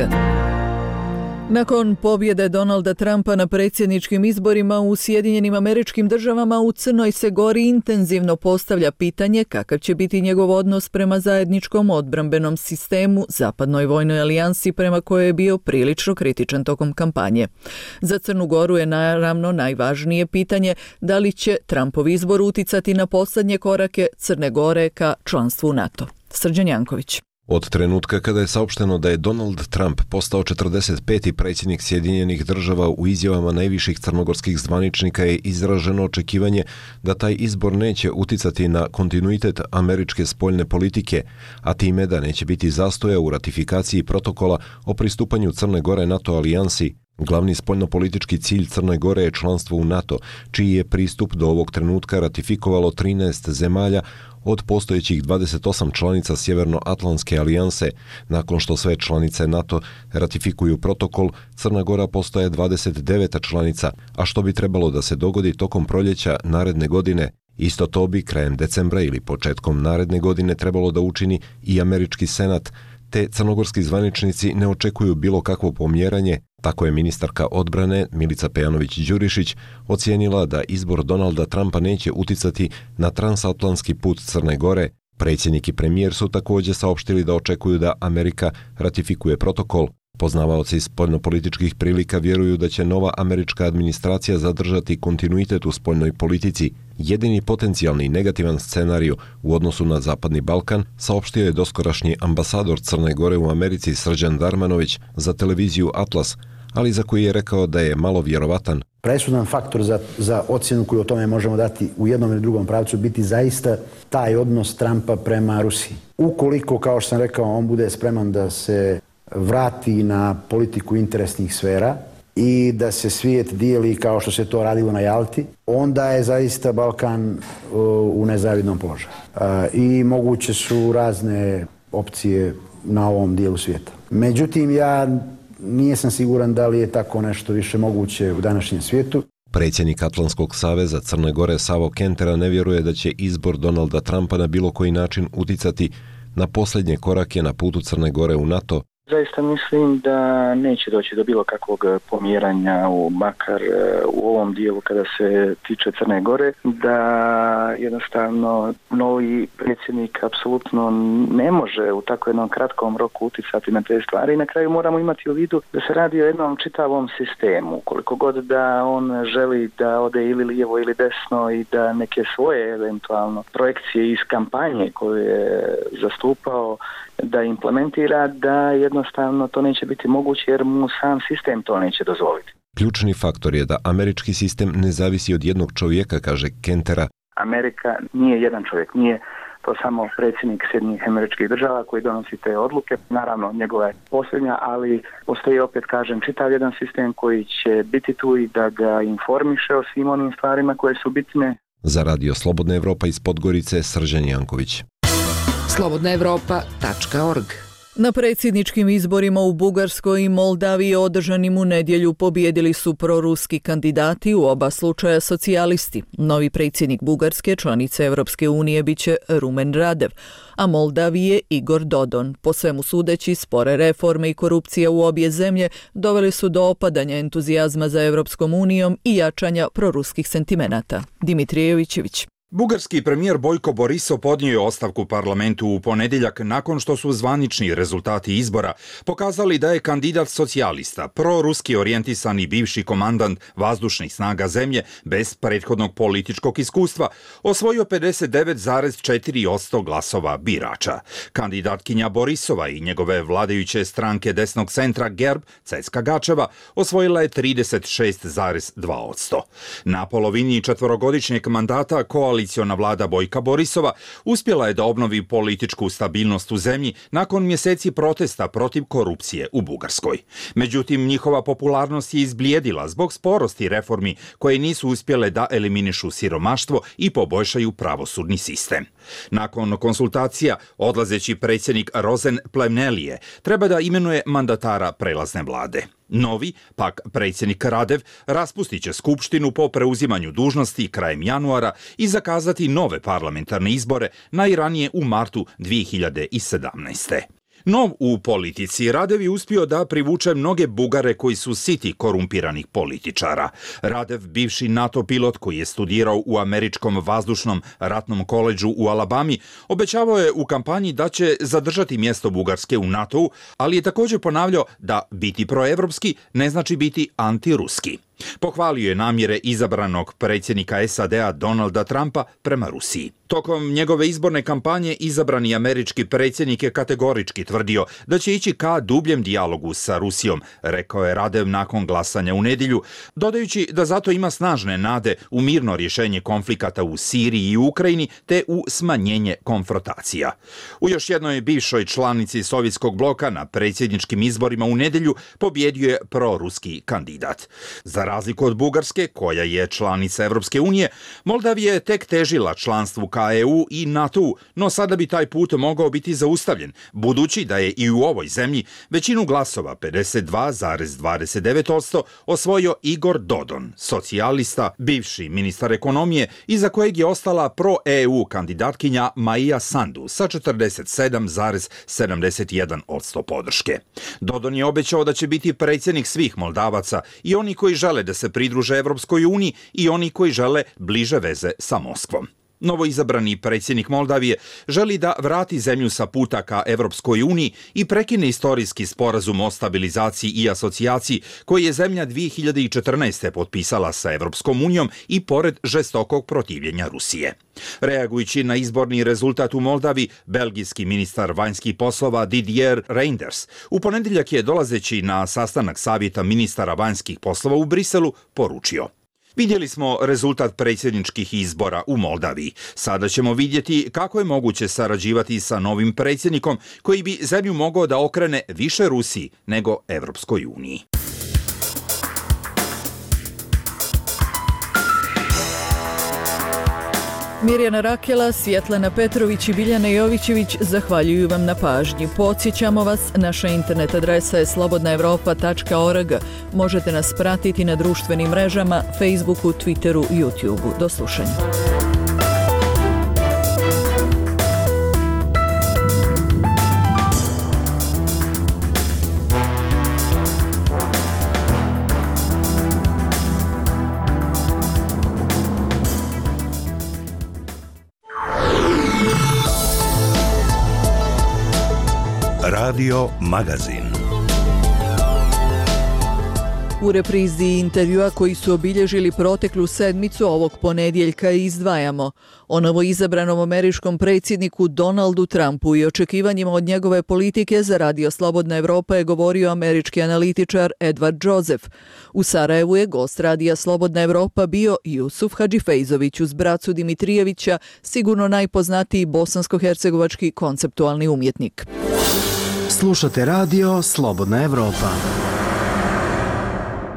Nakon pobjede Donalda Trumpa na predsjedničkim izborima u Sjedinjenim Američkim Državama, u Crnoj se Gori intenzivno postavlja pitanje kakav će biti njegov odnos prema zajedničkom odbrambenom sistemu, zapadnoj vojnoj alijansi prema kojoj je bio prilično kritičan tokom kampanje. Za Crnu Goru je naravno najvažnije pitanje da li će Trumpov izbor uticati na posljednje korake Crne Gore ka članstvu u NATO. Srđan Janković.
Od trenutka kada je saopšteno da je Donald Trump postao četrdeset peti predsjednik Sjedinjenih Država, u izjavama najviših crnogorskih zvaničnika je izraženo očekivanje da taj izbor neće uticati na kontinuitet američke spoljne politike, a time da neće biti zastoja u ratifikaciji protokola o pristupanju Crne Gore NATO alijansi. Glavni spoljnopolitički cilj Crne Gore je članstvo u NATO, čiji je pristup do ovog trenutka ratifikovalo trinaest zemalja od postojećih dvadeset osam članica Sjevernoatlantske alijanse. Nakon što sve članice NATO ratifikuju protokol, Crna Gora postaje dvadeset deveta članica, a što bi trebalo da se dogodi tokom proljeća naredne godine. Isto to bi krajem decembra ili početkom naredne godine trebalo da učini i američki senat, te crnogorski zvaničnici ne očekuju bilo kakvo pomjeranje. Tako je ministarka odbrane Milica Pejanović-Đurišić ocijenila da izbor Donalda Trumpa neće uticati na transatlantski put Crne Gore. Predsjednik i premijer su također saopštili da očekuju da Amerika ratifikuje protokol. Poznavaoci spoljnopolitičkih prilika vjeruju da će nova američka administracija zadržati kontinuitet u spoljnoj politici. Jedini potencijalni negativan scenarij u odnosu na Zapadni Balkan saopštio je doskorašnji ambasador Crne Gore u Americi Srđan Darmanović za televiziju Atlas, ali za koji je rekao da je malo vjerovatan.
Presudan faktor za, za ocjenu koju o tome možemo dati u jednom ili drugom pravcu biti zaista taj odnos Trumpa prema Rusiji. Ukoliko, kao što sam rekao, on bude spreman da se vrati na politiku interesnih sfera i da se svijet dijeli kao što se to radilo na Jalti, onda je zaista Balkan u nezavidnom položaju. I moguće su razne opcije na ovom dijelu svijeta. Međutim, ja nisam siguran da li je tako nešto više moguće u današnjem svijetu.
Predsjednik Atlantskog saveza Crne Gore Savo Kentera ne vjeruje da će izbor Donalda Trumpa na bilo koji način uticati na posljednje korake na putu Crne Gore u NATO.
Zaista mislim da neće doći do bilo kakvog pomjeranja u makar u ovom dijelu kada se tiče Crne Gore, da jednostavno novi predsjednik apsolutno ne može u tako jednom kratkom roku uticati na te stvari i na kraju moramo imati u vidu da se radi o jednom čitavom sistemu. Koliko god da on želi da ode ili lijevo ili desno i da neke svoje eventualno projekcije iz kampanje koje je zastupao da implementira, da jednostavno to neće biti moguće jer mu sam sistem to neće dozvoliti.
Ključni faktor je da američki sistem ne zavisi od jednog čovjeka, kaže Kentera.
Amerika nije jedan čovjek, nije to samo predsjednik Sjedinjenih Američkih Država koji donosi te odluke. Naravno, njegova je posljednja, ali postoji, opet kažem, čitav jedan sistem koji će biti tu i da ga informiše o svim onim stvarima koje su bitne.
Za Radio Slobodna Evropa iz Podgorice, Srđan Janković.
slobodna evropa tačka org.
Na predsjedničkim izborima u Bugarskoj i Moldaviji održanim u nedjelju pobijedili su proruski kandidati, u oba slučaja socijalisti. Novi predsjednik Bugarske, članice Europske unije, biće Rumen Radev, a Moldavije Igor Dodon. Po svemu sudeći, spore reforme i korupcija u obje zemlje doveli su do opadanja entuzijazma za Europskom unijom i jačanja proruskih sentimenata. Dimitrijevićević.
Bugarski premijer Bojko Borisov podnio je ostavku parlamentu u ponedjeljak nakon što su zvanični rezultati izbora pokazali da je kandidat socijalista, proruski orijentisani bivši komandant vazdušnih snaga zemlje bez prethodnog političkog iskustva osvojio pedeset devet zarez četiri posto glasova birača. Kandidatkinja Borisova i njegove vladajuće stranke desnog centra Gerb, Ceska Gačeva, osvojila je trideset šest zarez dva posto. Na polovini četvorogodišnjeg mandata koalicija Koaliciona vlada Bojka Borisova uspjela je da obnovi političku stabilnost u zemlji nakon mjeseci protesta protiv korupcije u Bugarskoj. Međutim, njihova popularnost je izblijedila zbog sporosti reformi koje nisu uspjele da eliminišu siromaštvo i poboljšaju pravosudni sistem. Nakon konsultacija, odlazeći predsjednik Rozen Plemnelije treba da imenuje mandatara prelazne vlade. Novi, pak predsjednik Radev, raspustit će skupštinu po preuzimanju dužnosti krajem januara i zakazati nove parlamentarne izbore najranije u martu dvije hiljade sedamnaeste. Nov u politici, Radev je uspio da privuče mnoge Bugare koji su siti korumpiranih političara. Radev, bivši NATO pilot koji je studirao u američkom vazdušnom ratnom koledžu u Alabami, obećavao je u kampanji da će zadržati mjesto Bugarske u NATO-u, ali je također ponavljao da biti proevropski ne znači biti antiruski. Pohvalio je namjere izabranog predsjednika S A D-a Donalda Trumpa prema Rusiji. Tokom njegove izborne kampanje izabrani američki predsjednik je kategorički tvrdio da će ići ka dubljem dijalogu sa Rusijom, rekao je Radev nakon glasanja u nedjelju, dodajući da zato ima snažne nade u mirno rješenje konflikata u Siriji i Ukrajini te u smanjenje konfrontacija. U još jednoj bivšoj članici sovjetskog bloka na predsjedničkim izborima u nedjelju pobjedio je proruski kandidat. Za razliku od Bugarske, koja je članica Europske unije, Moldavija je tek težila članstvu ka E U i NATO-u, no sada bi taj put mogao biti zaustavljen, budući da je i u ovoj zemlji većinu glasova, pedeset dva zarez dvadeset devet posto, osvojio Igor Dodon, socijalista, bivši ministar ekonomije, iza kojeg je ostala pro-E U kandidatkinja Maja Sandu sa četrdeset sedam zarez sedamdeset jedan posto podrške. Dodon je obećao da će biti predsjednik svih Moldavaca, i oni koji žele da se pridruže Evropskoj uniji i oni koji žele bliže veze sa Moskvom. Novoizabrani predsjednik Moldavije želi da vrati zemlju sa puta ka Evropskoj uniji i prekine istorijski sporazum o stabilizaciji i asocijaciji koji je zemlja dvije hiljade četrnaeste. potpisala sa Evropskom unijom i pored žestokog protivljenja Rusije. Reagujući na izborni rezultat u Moldavi, belgijski ministar vanjskih poslova Didier Reynders u ponedjeljak je, dolazeći na sastanak savjeta ministara vanjskih poslova u Briselu, poručio: Vidjeli smo rezultat predsjedničkih izbora u Moldaviji. Sada ćemo vidjeti kako je moguće sarađivati sa novim predsjednikom koji bi zemlju mogao da okrene više Rusiji nego Evropskoj uniji.
Mirjana Rakela, Svjetlana Petrović i Biljana Jovićević zahvaljuju vam na pažnji. Podsjećamo vas, naša internet adresa je slobodna evropa tačka org. Možete nas pratiti na društvenim mrežama, Facebooku, Twitteru i YouTubeu. Do slušanja.
Radio Magazin.
U reprizi intervjua koji su obilježili proteklu sedmicu ovog ponedjeljka izdvajamo o novoizabranom američkom predsjedniku Donaldu Trumpu i očekivanjima od njegove politike za Radio Slobodna Evropa je govorio američki analitičar Edward Joseph. U Sarajevu je gost Radija Slobodna Evropa bio Jusuf Hadžifejzović uz bracu Dimitrijevića, sigurno najpoznatiji bosansko-hercegovački konceptualni umjetnik.
Slušate radio Slobodna Evropa.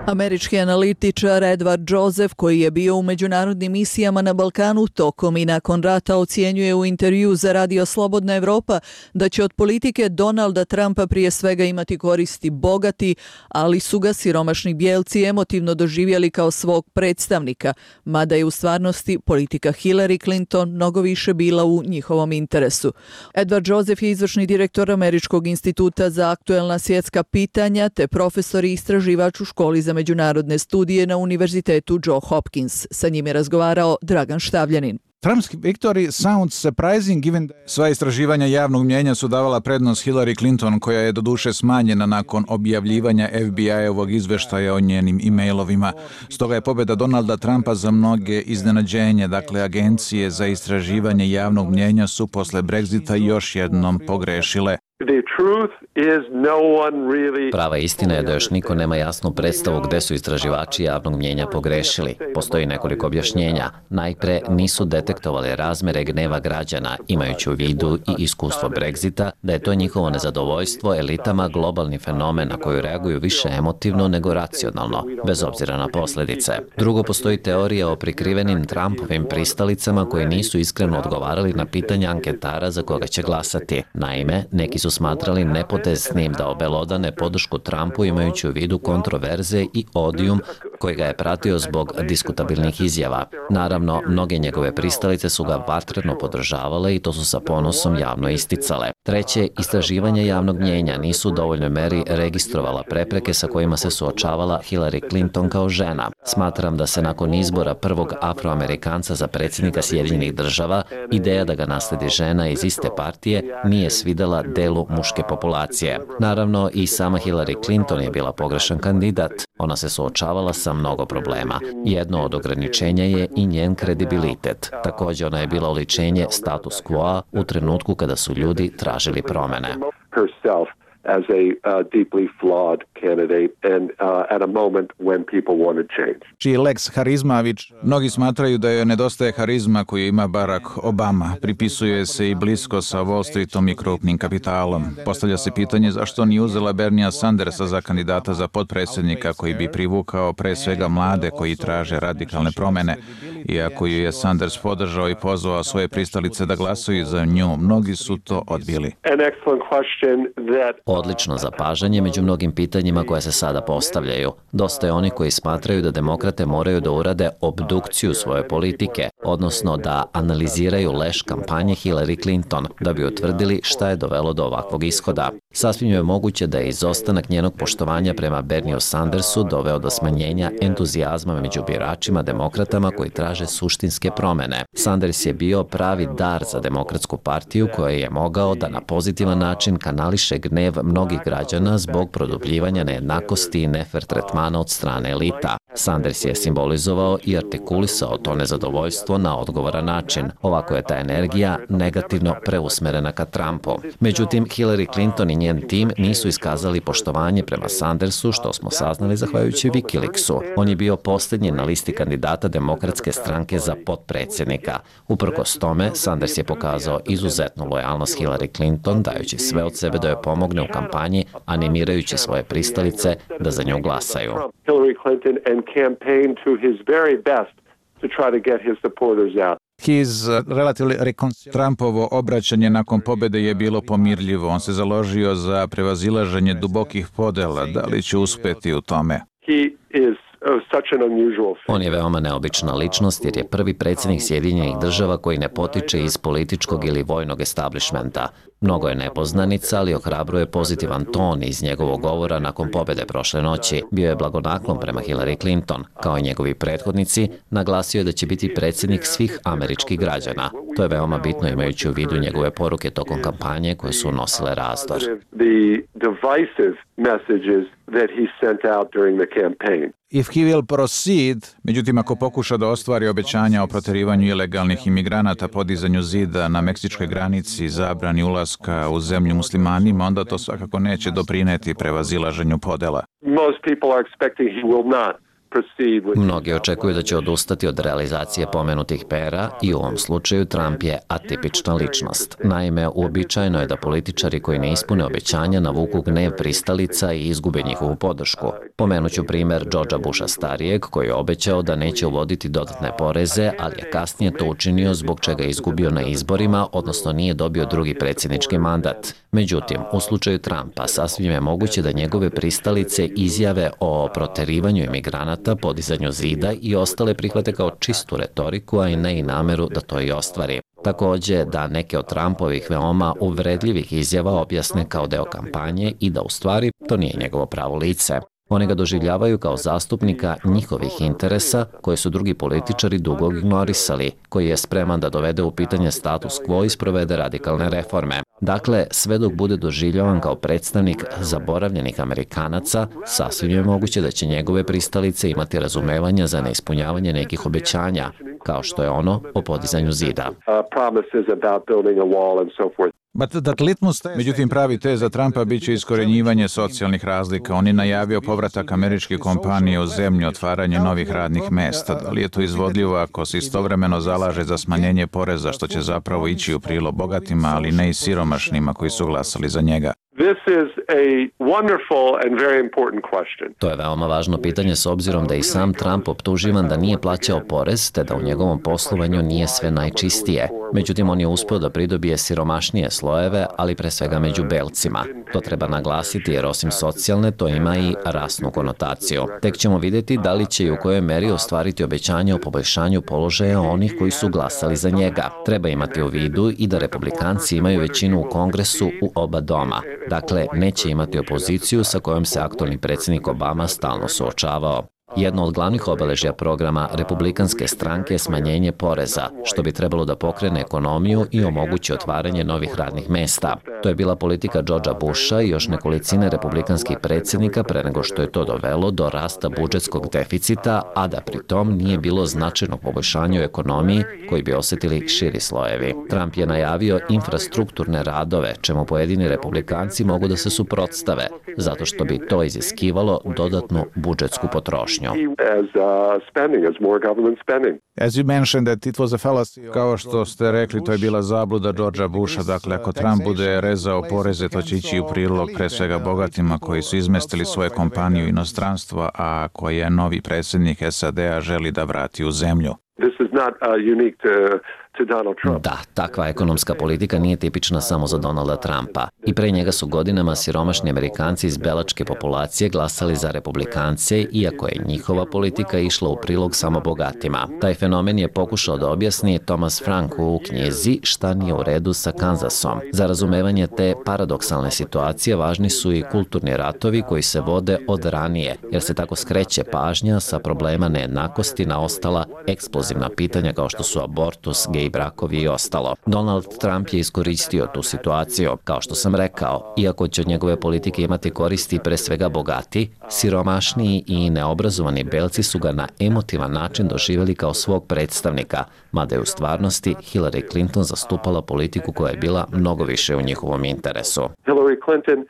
Američki analitičar Edward Joseph, koji je bio u međunarodnim misijama na Balkanu tokom i nakon rata, ocjenjuje u intervju za Radio Slobodna Evropa da će od politike Donalda Trumpa prije svega imati koristi bogati, ali su ga siromašni bijelci emotivno doživjeli kao svog predstavnika, mada je u stvarnosti politika Hillary Clinton mnogo više bila u njihovom interesu. Edward Joseph je izvršni direktor Američkog instituta za aktuelna svjetska pitanja te profesor i istraživač u školi za međunarodne studije na Univerzitetu Joe Hopkins. Sa njim je razgovarao Dragan Štavljanin.
Trump's victory sounds surprising given that sva istraživanja javnog mnijenja su davala prednost Hillary Clinton, koja je doduše smanjena nakon objavljivanja F B I-ovog izveštaja o njenim e-mailovima. Stoga je pobjeda Donalda Trumpa za mnoge iznenađenje. Dakle, agencije za istraživanje javnog mnijenja su posle Brexita još jednom pogrešile.
Prava istina je da još niko nema jasnu predstavu gde su istraživači javnog mnijenja pogrešili. Postoji nekoliko objašnjenja. Najpre, nisu detektovali razmere gneva građana, imajući u vidu i iskustvo Brexita, da je to njihovo nezadovoljstvo elitama globalni fenomen na koju reaguju više emotivno nego racionalno, bez obzira na posljedice. Drugo, postoji teorija o prikrivenim Trumpovim pristalicama koji nisu iskreno odgovarali na pitanja anketara za koga će glasati. Naime, neki su smatrali nepotesnim da obelodane podršku Trumpu imajući u vidu kontroverze i odijum koji ga je pratio zbog diskutabilnih izjava. Naravno, mnoge njegove pristalice su ga vatreno podržavale i to su sa ponosom javno isticale. Treće, istraživanja javnog mnijenja nisu u dovoljnoj meri registrovala prepreke sa kojima se suočavala Hillary Clinton kao žena. Smatram da se nakon izbora prvog Afroamerikanca za predsjednika Sjedinjenih država, ideja da ga nasledi žena iz iste partije nije svidela delu muške populacije. Naravno, i sama Hillary Clinton je bila pogrešan kandidat. Ona se suočavala sa mnogo problema. Jedno od ograničenja je i njen kredibilitet. Također, ona je bila oličenje status quo u trenutku kada su ljudi tražili promene.
as a uh, deeply flawed candidate and uh, at a moment when people wanted change.
Čiji Lex Harizmavić, mnogi smatraju da joj nedostaje harizma koju ima Barack Obama. Pripisuje se i blisko sa Wall Streetom i krupnim kapitalom. Postavlja se pitanje zašto nije uzela Bernija Sandersa za kandidata za potpredsjednika koji bi privukao pre svega mlade koji traže radikalne promene. Iako ju je Sanders podržao i pozvao svoje pristalice da glasuju za nju, mnogi su to odbili.
An excellent question that
odlično zapažanje među mnogim pitanjima koja se sada postavljaju. Dosta je oni koji smatraju da demokrate moraju da urade obdukciju svoje politike, odnosno da analiziraju leš kampanje Hillary Clinton, da bi utvrdili šta je dovelo do ovakvog ishoda. Sasvim je moguće da je izostanak njenog poštovanja prema Bernieu Sandersu doveo do smanjenja entuzijazma među biračima demokratama koji traže suštinske promene. Sanders je bio pravi dar za demokratsku partiju koja je mogao da na pozitivan način kanališe gnev mnogih građana zbog produbljivanja nejednakosti i nefer tretmana od strane elita. Sanders je simbolizovao i artikulisao to nezadovoljstvo na odgovoran način. Ovako je ta energija negativno preusmerena ka Trumpu. Međutim, Hillary Clinton i njen tim nisu iskazali poštovanje prema Sandersu, što smo saznali zahvaljujući Wikileaksu. On je bio posljednji na listi kandidata demokratske stranke za potpredsjednika. Uprkos tome, Sanders je pokazao izuzetnu lojalnost Hillary Clinton, dajući sve od sebe da joj pomogne u kampanji, animirajući svoje pristalice da za nju glasaju.
Hillary Clinton and campaign to his very best to try to get his supporters out.
His relatively recon- Trumpovo obraćanje nakon pobjede je bilo pomirljivo. On se založio za prevazilaženje dubokih podela. Da li će uspjeti u tome?
He is
On je veoma neobična ličnost jer je prvi predsjednik Sjedinjenih država koji ne potiče iz političkog ili vojnog establishmenta. Mnogo je nepoznanica, ali ohrabruje pozitivan ton iz njegovog govora nakon pobjede prošle noći. Bio je blagonaklon prema Hillary Clinton. Kao i njegovi prethodnici, naglasio je da će biti predsjednik svih američkih građana. To je veoma bitno imajući u vidu njegove poruke tokom kampanje koje su nosile razdor.
If he will proceed, međutim ako pokuša da ostvari obećanja o proterivanju ilegalnih imigranata, podizanju zida na meksičkoj granici, zabrani ulaska u zemlju muslimanima, onda to svakako neće doprineti prevazilaženju podela.
Most people are expecting he will not.
Mnogi očekuju da će odustati od realizacije pomenutih pera i u ovom slučaju Trump je atipična ličnost. Naime, uobičajeno je da političari koji ne ispune obećanja navuku gnev pristalica i izgube njihovu podršku. Pomenuću primjer Georgea Busha starijeg koji je obećao da neće uvoditi dodatne poreze, ali je kasnije to učinio zbog čega je izgubio na izborima, odnosno nije dobio drugi predsjednički mandat. Međutim, u slučaju Trumpa sasvim je moguće da njegove pristalice izjave o proterivanju imigranata, podizanju zida i ostale prihvate kao čistu retoriku, a i ne i nameru da to i ostvari. Također da neke od Trumpovih veoma uvredljivih izjava objasne kao deo kampanje i da u stvari to nije njegovo pravo lice. Oni ga doživljavaju kao zastupnika njihovih interesa koje su drugi političari dugo ignorisali, koji je spreman da dovede u pitanje status quo i sprovede radikalne reforme. Dakle, sve dok bude doživljavan kao predstavnik zaboravljenih Amerikanaca, sasvim je moguće da će njegove pristalice imati razumevanja za neispunjavanje nekih obećanja, kao što je ono o podizanju zida.
Međutim, pravi tez za Trumpa bit će iskorenjivanje socijalnih razlika. On je najavio povratak američke kompanije u zemlju, otvaranje novih radnih mesta. Da li je to izvodljivo ako se istovremeno zalaže za smanjenje poreza, što će zapravo ići u prilog bogatima, ali ne i siromašnima koji su glasali za njega?
This is a wonderful and very important question.
To je veoma važno pitanje s obzirom da i sam Trump optuživan da nije plaćao porez, te da u njegovom poslovanju nije sve najčistije. Međutim, on je uspio da pridobije siromašnije slojeve, ali pre svega među belcima. To treba naglasiti jer osim socijalne, to ima i rasnu konotaciju. Tek ćemo vidjeti da li će i u kojoj meri ostvariti obećanje o poboljšanju položaja onih koji su glasali za njega. Treba imati u vidu i da republikanci imaju većinu u Kongresu u oba doma. Dakle, neće imati opoziciju sa kojom se aktualni predsjednik Obama stalno suočavao. Jedno od glavnih obeležja programa republikanske stranke je smanjenje poreza, što bi trebalo da pokrene ekonomiju i omogući otvaranje novih radnih mesta. To je bila politika Georgea Busha i još nekolicine republikanskih predsjednika pre nego što je to dovelo do rasta budžetskog deficita, a da pri tom nije bilo značajnog poboljšanja u ekonomiji koji bi osjetili širi slojevi. Trump je najavio infrastrukturne radove, čemu pojedini republikanci mogu da se suprotstave, zato što bi to iziskivalo dodatnu budžetsku potrošnju.
As you mentioned that it was a fallacy. Kao što ste rekli, to je bila zabluda Georgea Busha. Dakle, ako Trump bude rezao poreze, to će ići u prilog pre svega bogatima koji su izmestili svoje kompanije u inostranstvo, a koje novi predsjednik S A D-a želi da vrati u zemlju.
This is not uh, unique to, to Donald Trump.
Da, takva ekonomska politika nije tipična samo za Donalda Trumpa. I pre njega su godinama siromašni Amerikanci iz belačke populacije glasali za republikance, iako je njihova politika išla u prilog samo bogatima. Taj fenomen je pokušao da objasni Thomas Frank u knjizi Šta nije u redu sa Kansasom. Za razumevanje te paradoksalne situacije važni su i kulturni ratovi koji se vode od ranije, jer se tako skreće pažnja sa problema nejednakosti na ostala eksplozivna pitanja kao što su abortus, gej brakovi i ostalo. Donald Trump je iskoristio tu situaciju. Kao što sam rekao, iako će od njegove politike imati koristi pre svega bogati, siromašniji i neobrazovani belci su ga na emotivan način doživjeli kao svog predstavnika, mada je u stvarnosti Hillary Clinton zastupala politiku koja je bila mnogo više u njihovom interesu.
Hillary Clinton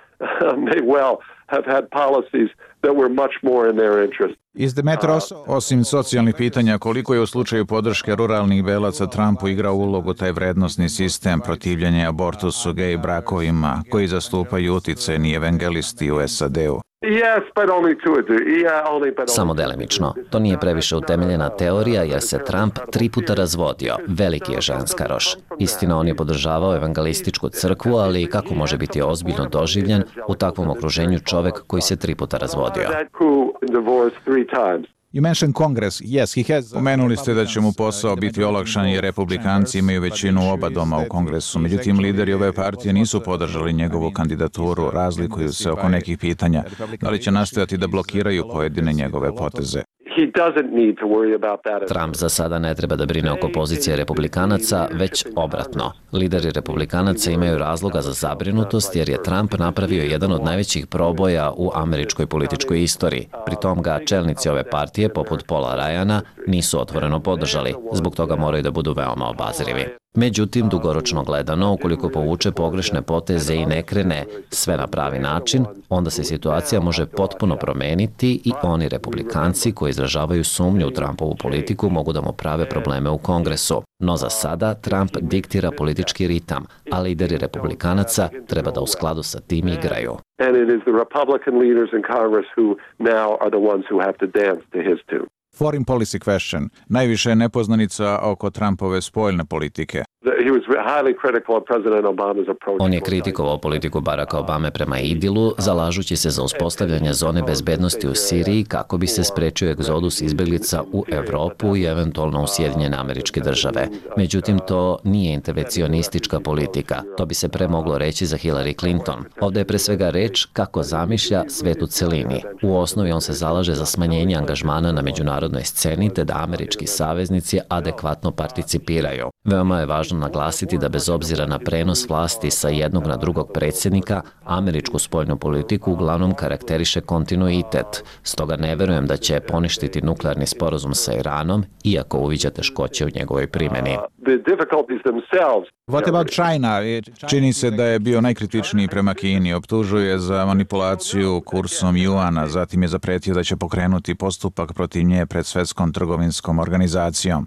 may well have had policies that were much more in their interest.
Is the matter also, osim socijalnih pitanja, koliko je u slučaju podrške ruralnih belaca Trumpu igrao ulogu taj vrednosni sistem protivljenja abortusu, gej brakovima, koji zastupaju uticajni evangelisti u S A D-u?
Yes, but only to a degree. Yeah, only, but only.
Samo delimično. To nije previše utemeljena teorija jer se Trump tri puta razvodio. Veliki je ženskaroš. Istina, on je podržavao evangelističku crkvu, ali kako može biti ozbiljno doživljen u takvom okruženju čovek koji se tri puta razvodio?
You mentioned Congress. Yes, he has. Pomenuli ste da će mu posao biti olakšan jer republikanci imaju većinu u oba doma u Kongresu. Međutim, lideri ove partije nisu podržali njegovu kandidaturu, razlikuju se oko nekih pitanja. Da li će nastojati da blokiraju pojedine njegove poteze?
Trump za sada ne treba da brine oko pozicije republikanaca, već obratno. Lideri republikanaca imaju razloga za zabrinutost jer je Trump napravio jedan od najvećih proboja u američkoj političkoj istoriji. Pritom ga čelnici ove partije, poput Paula Ryana, nisu otvoreno podržali. Zbog toga moraju da budu veoma obazrivi. Međutim, dugoročno gledano, ukoliko povuče pogrešne poteze i ne krene sve na pravi način, onda se situacija može potpuno promeniti i oni republikanci koji izražavaju sumnju u Trumpovu politiku mogu da mu prave probleme u Kongresu. No za sada Trump diktira politički ritam, a lideri republikanaca treba da u skladu sa tim igraju.
And it is the Republican leaders in Congress who now are the ones who have to dance to his tune.
Foreign policy question. Najviše je nepoznanica oko Trumpove spoljne politike.
On je kritikovao politiku Baracka Obame prema Idilu, zalažući se za uspostavljanje zone bezbednosti u Siriji kako bi se sprečio egzodus izbeglica u Evropu i eventualno u Sjedinjene Američke Države. Međutim, to nije intervencionistička politika. To bi se pre moglo reći za Hillary Clinton. Ovde je pre svega reč kako zamišlja svet u celini. U osnovi on se zalaže za smanjenje angažmana na međunarodnoj sceni te da američki saveznici adekvatno participiraju. Veoma je važno naglasiti da bez obzira na prenos vlasti sa jednog na drugog predsjednika, američku spoljnu politiku uglavnom karakteriše kontinuitet. Stoga ne verujem da će poništiti nuklearni sporazum sa Iranom, iako uviđa teškoće u njegovoj primjeni.
What about China? Čini se da je bio najkritičniji prema Kini, optužuje za manipulaciju kursom juana, zatim je zapretio da će pokrenuti postupak protiv nje pred Svetskom trgovinskom organizacijom.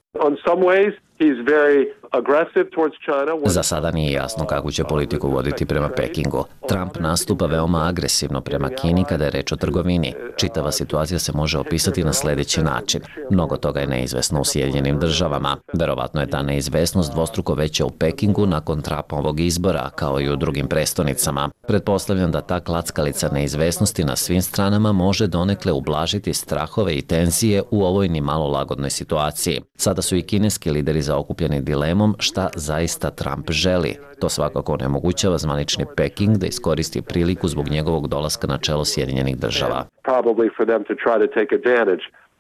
Za sada nije jasno kako će politiku voditi prema Pekingu. Trump nastupa veoma agresivno prema Kini kada je reč o trgovini. Čitava situacija se može opisati na sljedeći način. Mnogo toga je neizvesno u Sjedinjenim Državama. Verovatno je ta neizvesnost dvostruko veća u Pekingu nakon Trumpovog izbora, kao i u drugim prestonicama. Pretpostavljam da ta klackalica neizvesnosti na svim stranama može donekle ublažiti strahove i tenzije u ovoj ni malo lagodnoj situaciji. Sada su i kineski lideri zaokupljeni dilemom šta zaista Trump želi. To svakako onemogućava zvanični Peking da iskoristi priliku zbog njegovog dolaska na čelo Sjedinjenih Država.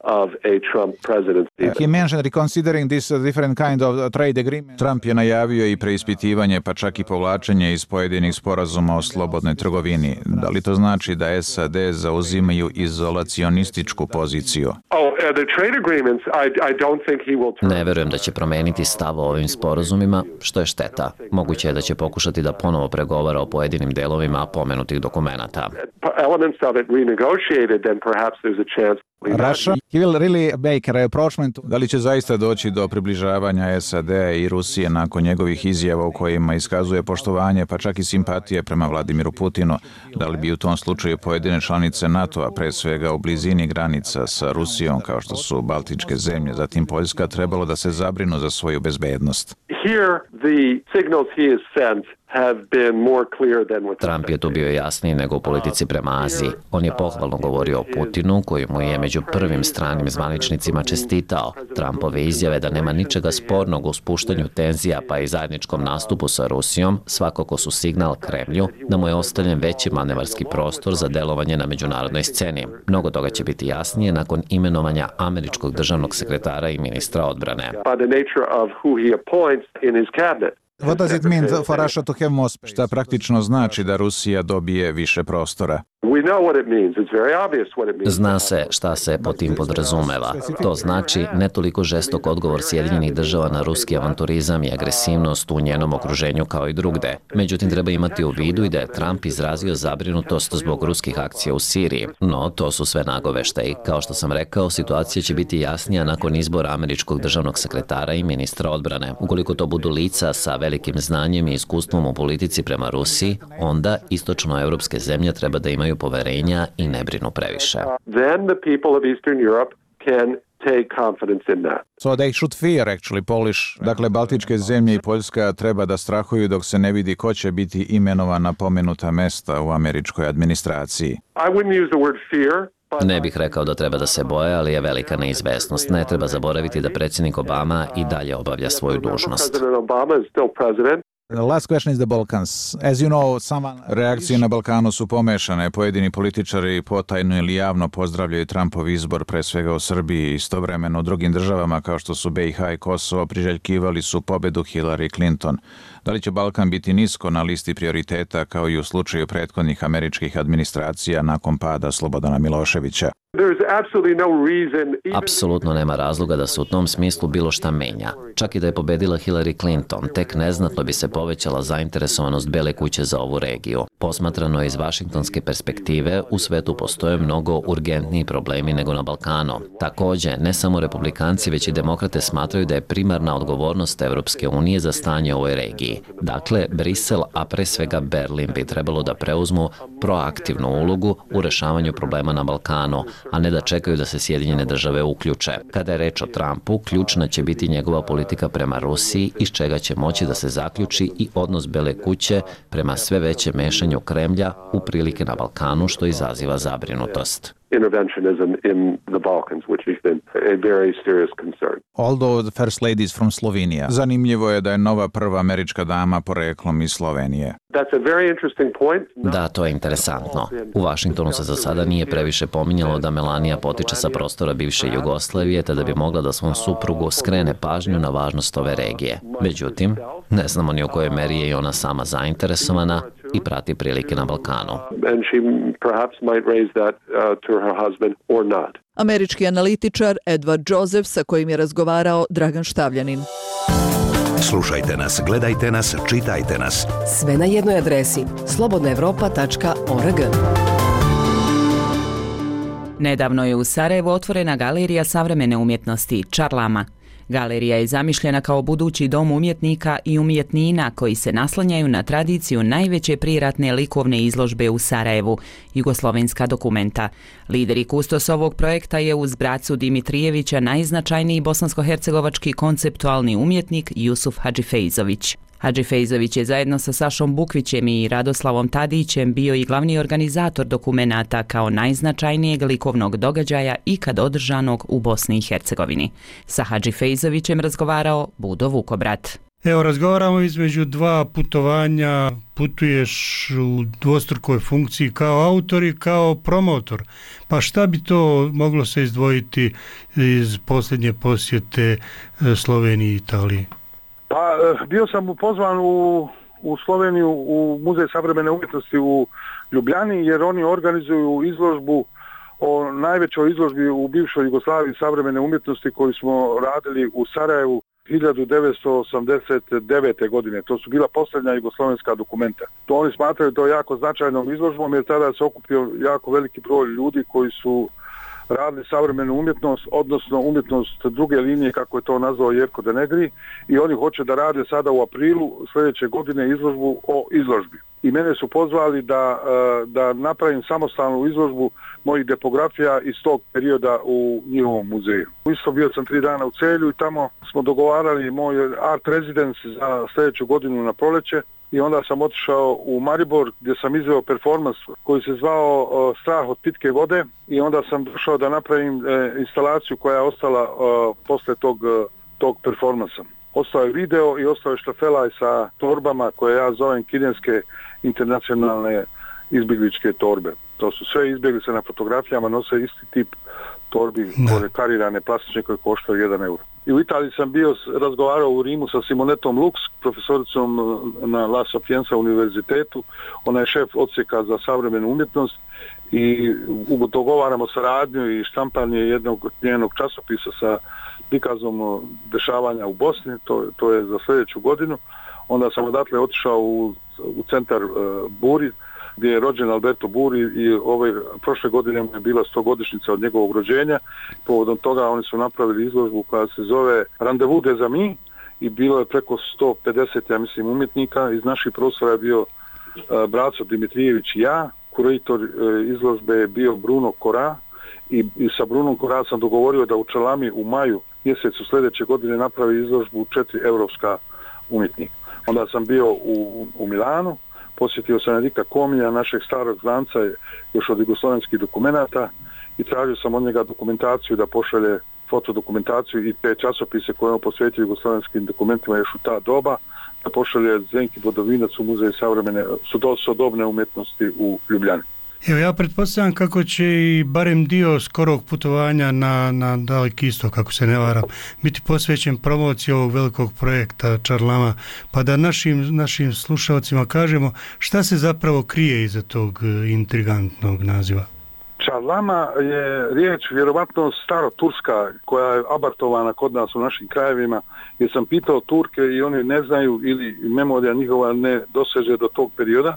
Of a Trump presidency.
He mentioned reconsidering this different kind of trade agreement. Trump je najavio i preispitivanje, pa čak i povlačenje iz pojedinih sporazuma o slobodnoj trgovini. Da li to znači da S A D zauzimaju izolacionističku poziciju?
Oh, the trade agreements, I, I don't think he will.
Ne verujem da će promeniti stav o ovim sporazumima, što je šteta. Moguće je da će pokušati da ponovo pregovara o pojedinim delovima pomenutih dokumenata.
Elements of it renegotiated, then perhaps there's a chance.
Russia, he will really make a approachment. Da li će zaista doći do približavanja S A D i Rusije nakon njegovih izjava u kojima iskazuje poštovanje pa čak i simpatije prema Vladimiru Putinu? Da li bi u tom slučaju pojedine članice NATO-a, pre svega u blizini granica sa Rusijom kao što su Baltičke zemlje, zatim Poljska, trebalo da se zabrinu za svoju bezbednost?
Here the signals he has sent have been more clear than with
Trump je tu bio jasniji nego u politici prema Aziji. On je pohvalno govorio o Putinu, koji mu je među prvim stranim zvaničnicima čestitao. Trumpove izjave da nema ničega spornog u spuštanju tenzija pa i zajedničkom nastupu sa Rusijom svakako su signal Kremlju da mu je ostavljen veći manevarski prostor za delovanje na međunarodnoj sceni. Mnogo toga će biti jasnije nakon imenovanja američkog državnog sekretara i ministra odbrane.
What does it mean for Russia to have more space? Šta praktično znači da Rusija dobije više prostora?
Zna se šta se po tim podrazumeva. To znači ne toliko žestok odgovor Sjedinjenih država na ruski avanturizam i agresivnost u njenom okruženju kao i drugde. Međutim, treba imati u vidu i da je Trump izrazio zabrinutost zbog ruskih akcija u Siriji. No, to su sve nagoveštaji. Kao što sam rekao, situacija će biti jasnija nakon izbora američkog državnog sekretara i ministra odbrane. Ukoliko to budu lica sa velikim znanjem i iskustvom u politici prema Rusiji, onda istočnoevropske zemlje treba da imaju poverenja i ne brinu previše.
Then the people of Eastern Europe can take confidence in that.
So they should fear actually Polish. Dakle, Baltičke zemlje i Poljska treba da strahuju dok se ne vidi ko će biti imenovan na pomenuta mesta u američkoj administraciji.
I wouldn't use the word fear.
Ne bih rekao da treba da se boje, ali je velika neizvesnost. Ne treba zaboraviti da predsjednik Obama i dalje obavlja svoju dužnost.
President Obama is still president.
The last question is the Balkans. As you know, someone... Reakcije na Balkanu su pomešane. Pojedini političari potajno ili javno pozdravljaju Trumpov izbor, pre svega u Srbiji. Istovremeno u drugim državama kao što su B i H i Kosovo priželjkivali su pobedu Hillary Clinton. Da li će Balkan biti nisko na listi prioriteta kao i u slučaju prethodnih američkih administracija nakon pada Slobodana Miloševića?
Apsolutno nema razloga da se u tom smislu bilo šta menja. Čak i da je pobedila Hillary Clinton, tek neznatno bi se povećala zainteresovanost Bele kuće za ovu regiju. Posmatrano iz vašingtonske perspektive, u svetu postoje mnogo urgentniji problemi nego na Balkanu. Takođe, ne samo republikanci, već i demokrate smatraju da je primarna odgovornost Evropske unije za stanje u ovoj regiji. Dakle, Brisel, a pre svega Berlin bi trebalo da preuzmu proaktivnu ulogu u rešavanju problema na Balkanu, a ne da čekaju da se Sjedinjene države uključe. Kada je reč o Trumpu, ključna će biti njegova politika prema Rusiji, iz čega će moći da se zaključi i odnos Bele kuće prema sve većem mešanju Kremlja u prilike na Balkanu, što izaziva zabrinutost.
Interventionism in the Balkans, which has been a very serious concern.
Although the first lady is from Slovenia. Zanimljivo je da je nova prva američka dama poreklom iz Slovenije.
That's a very interesting point.
Da, to je interesantno. U Vašingtonu se za sada nije previše pominjalo da Melania potiče sa prostora bivše Jugoslavije, te da bi mogla da svom suprugu skrene pažnju na važnost ove regije. Međutim, ne znamo ni u kojoj meri je i ona sama zainteresovana i prati prilike na Balkanu.
And she perhaps might raise that uh, to her husband or not.
Američki analitičar Edward Joseph sa kojim je razgovarao Dragan Štavljanin.
Slušajte nas, gledajte nas, čitajte nas.
Sve na jednoj adresi slobodna evropa tačka org.
Nedavno je u Sarajevu otvorena galerija savremene umjetnosti Čarlama. Galerija je zamišljena kao budući dom umjetnika i umjetnina koji se naslanjaju na tradiciju najveće priratne likovne izložbe u Sarajevu, Jugoslovenska dokumenta. Lider i kustos ovog projekta je uz bracu Dimitrijevića najznačajniji bosansko-hercegovački konceptualni umjetnik Jusuf Hadžifejzović. Hadžifejzović je zajedno sa Sašom Bukvićem i Radoslavom Tadićem bio i glavni organizator dokumenata kao najznačajnijeg likovnog događaja ikad održanog u Bosni i Hercegovini. Sa Hadžifejzovićem razgovarao Budo Vukobrat.
Evo, razgovaramo između dva putovanja, putuješ u dvostrukoj funkciji kao autor i kao promotor. Pa šta bi to moglo se izdvojiti iz posljednje posjete Sloveniji i Italiji?
Pa bio sam pozvan u, u Sloveniju u Muzej savremene umjetnosti u Ljubljani, jer oni organizuju izložbu o najvećoj izložbi u bivšoj Jugoslaviji savremene umjetnosti koju smo radili u Sarajevu hiljadu devetsto osamdeset devete. godine. To su bila posljednja jugoslovenska dokumenta. To oni smatraju to jako značajnom izložbom, jer tada se okupio jako veliki broj ljudi koji su radili savremenu umjetnost, odnosno umjetnost druge linije, kako je to nazvao Jerko de Negri, i oni hoće da rade sada u aprilu sljedeće godine izložbu o izložbi. I mene su pozvali da, da napravim samostalnu izložbu mojih depografija iz tog perioda u njihovom muzeju. Isto bio sam tri dana u Celju i tamo smo dogovarali moj art residence za sljedeću godinu na proleće. I onda sam otišao u Maribor gdje sam izveo performans koji se zvao uh, Strah od pitke vode i onda sam došao da napravim uh, instalaciju koja je ostala uh, posle tog, uh, tog performansa. Ostao je video i ostao je štafelaj sa torbama koje ja zovem kineske internacionalne izbjegličke torbe. To su sve izbjeglice na fotografijama, nose isti tip torbi, ove karirane plastične koje koštaju jedan euro. I u Italiji sam bio, razgovarao u Rimu sa Simonetom Lux, profesoricom na La Sapienza univerzitetu. Ona je šef odsjeka za savremenu umjetnost i dogovaramo saradnju i štampanje jednog njenog časopisa sa prikazom dešavanja u Bosni, to, to je za sljedeću godinu. Onda sam odatle otišao u, u centar uh, Buri, gdje je rođen Alberto Buri i ove prošle godine je bila stogodišnjica od njegovog rođenja. Povodom toga oni su napravili izložbu koja se zove Rendezvous des Amis i bilo je preko sto pedeset, ja mislim, umjetnika. Iz naših prostora je bio uh, Braco Dimitrijević i ja. Kurator uh, izložbe je bio Bruno Kora i, i sa Brunom Kora sam dogovorio da u Čalami u maju mjesecu sljedeće godine napravi izložbu četiri europska umjetnika. Onda sam bio u, u Milanu, posjetio sam Enrika Komija, našeg starog znanca još od jugoslavenskih dokumenata i tražio sam od njega dokumentaciju da pošalje fotodokumentaciju i te časopise koje on posvetio jugoslavenskim dokumentima još u ta doba, da pošalje Zdenki Bodovinac u Muzej savremene sodobne umjetnosti u Ljubljani.
Evo, ja pretpostavljam kako će i barem dio skorog putovanja na, na Daleki istok, kako se ne varam, biti posvećen promociji ovog velikog projekta Čarlama, pa da našim, našim slušalcima kažemo šta se zapravo krije iza tog intrigantnog naziva.
Čarlama je riječ vjerovatno staroturska koja je abartovana kod nas u našim krajevima, jer sam pitao Turke i oni ne znaju ili memorija njihova ne doseže do tog perioda.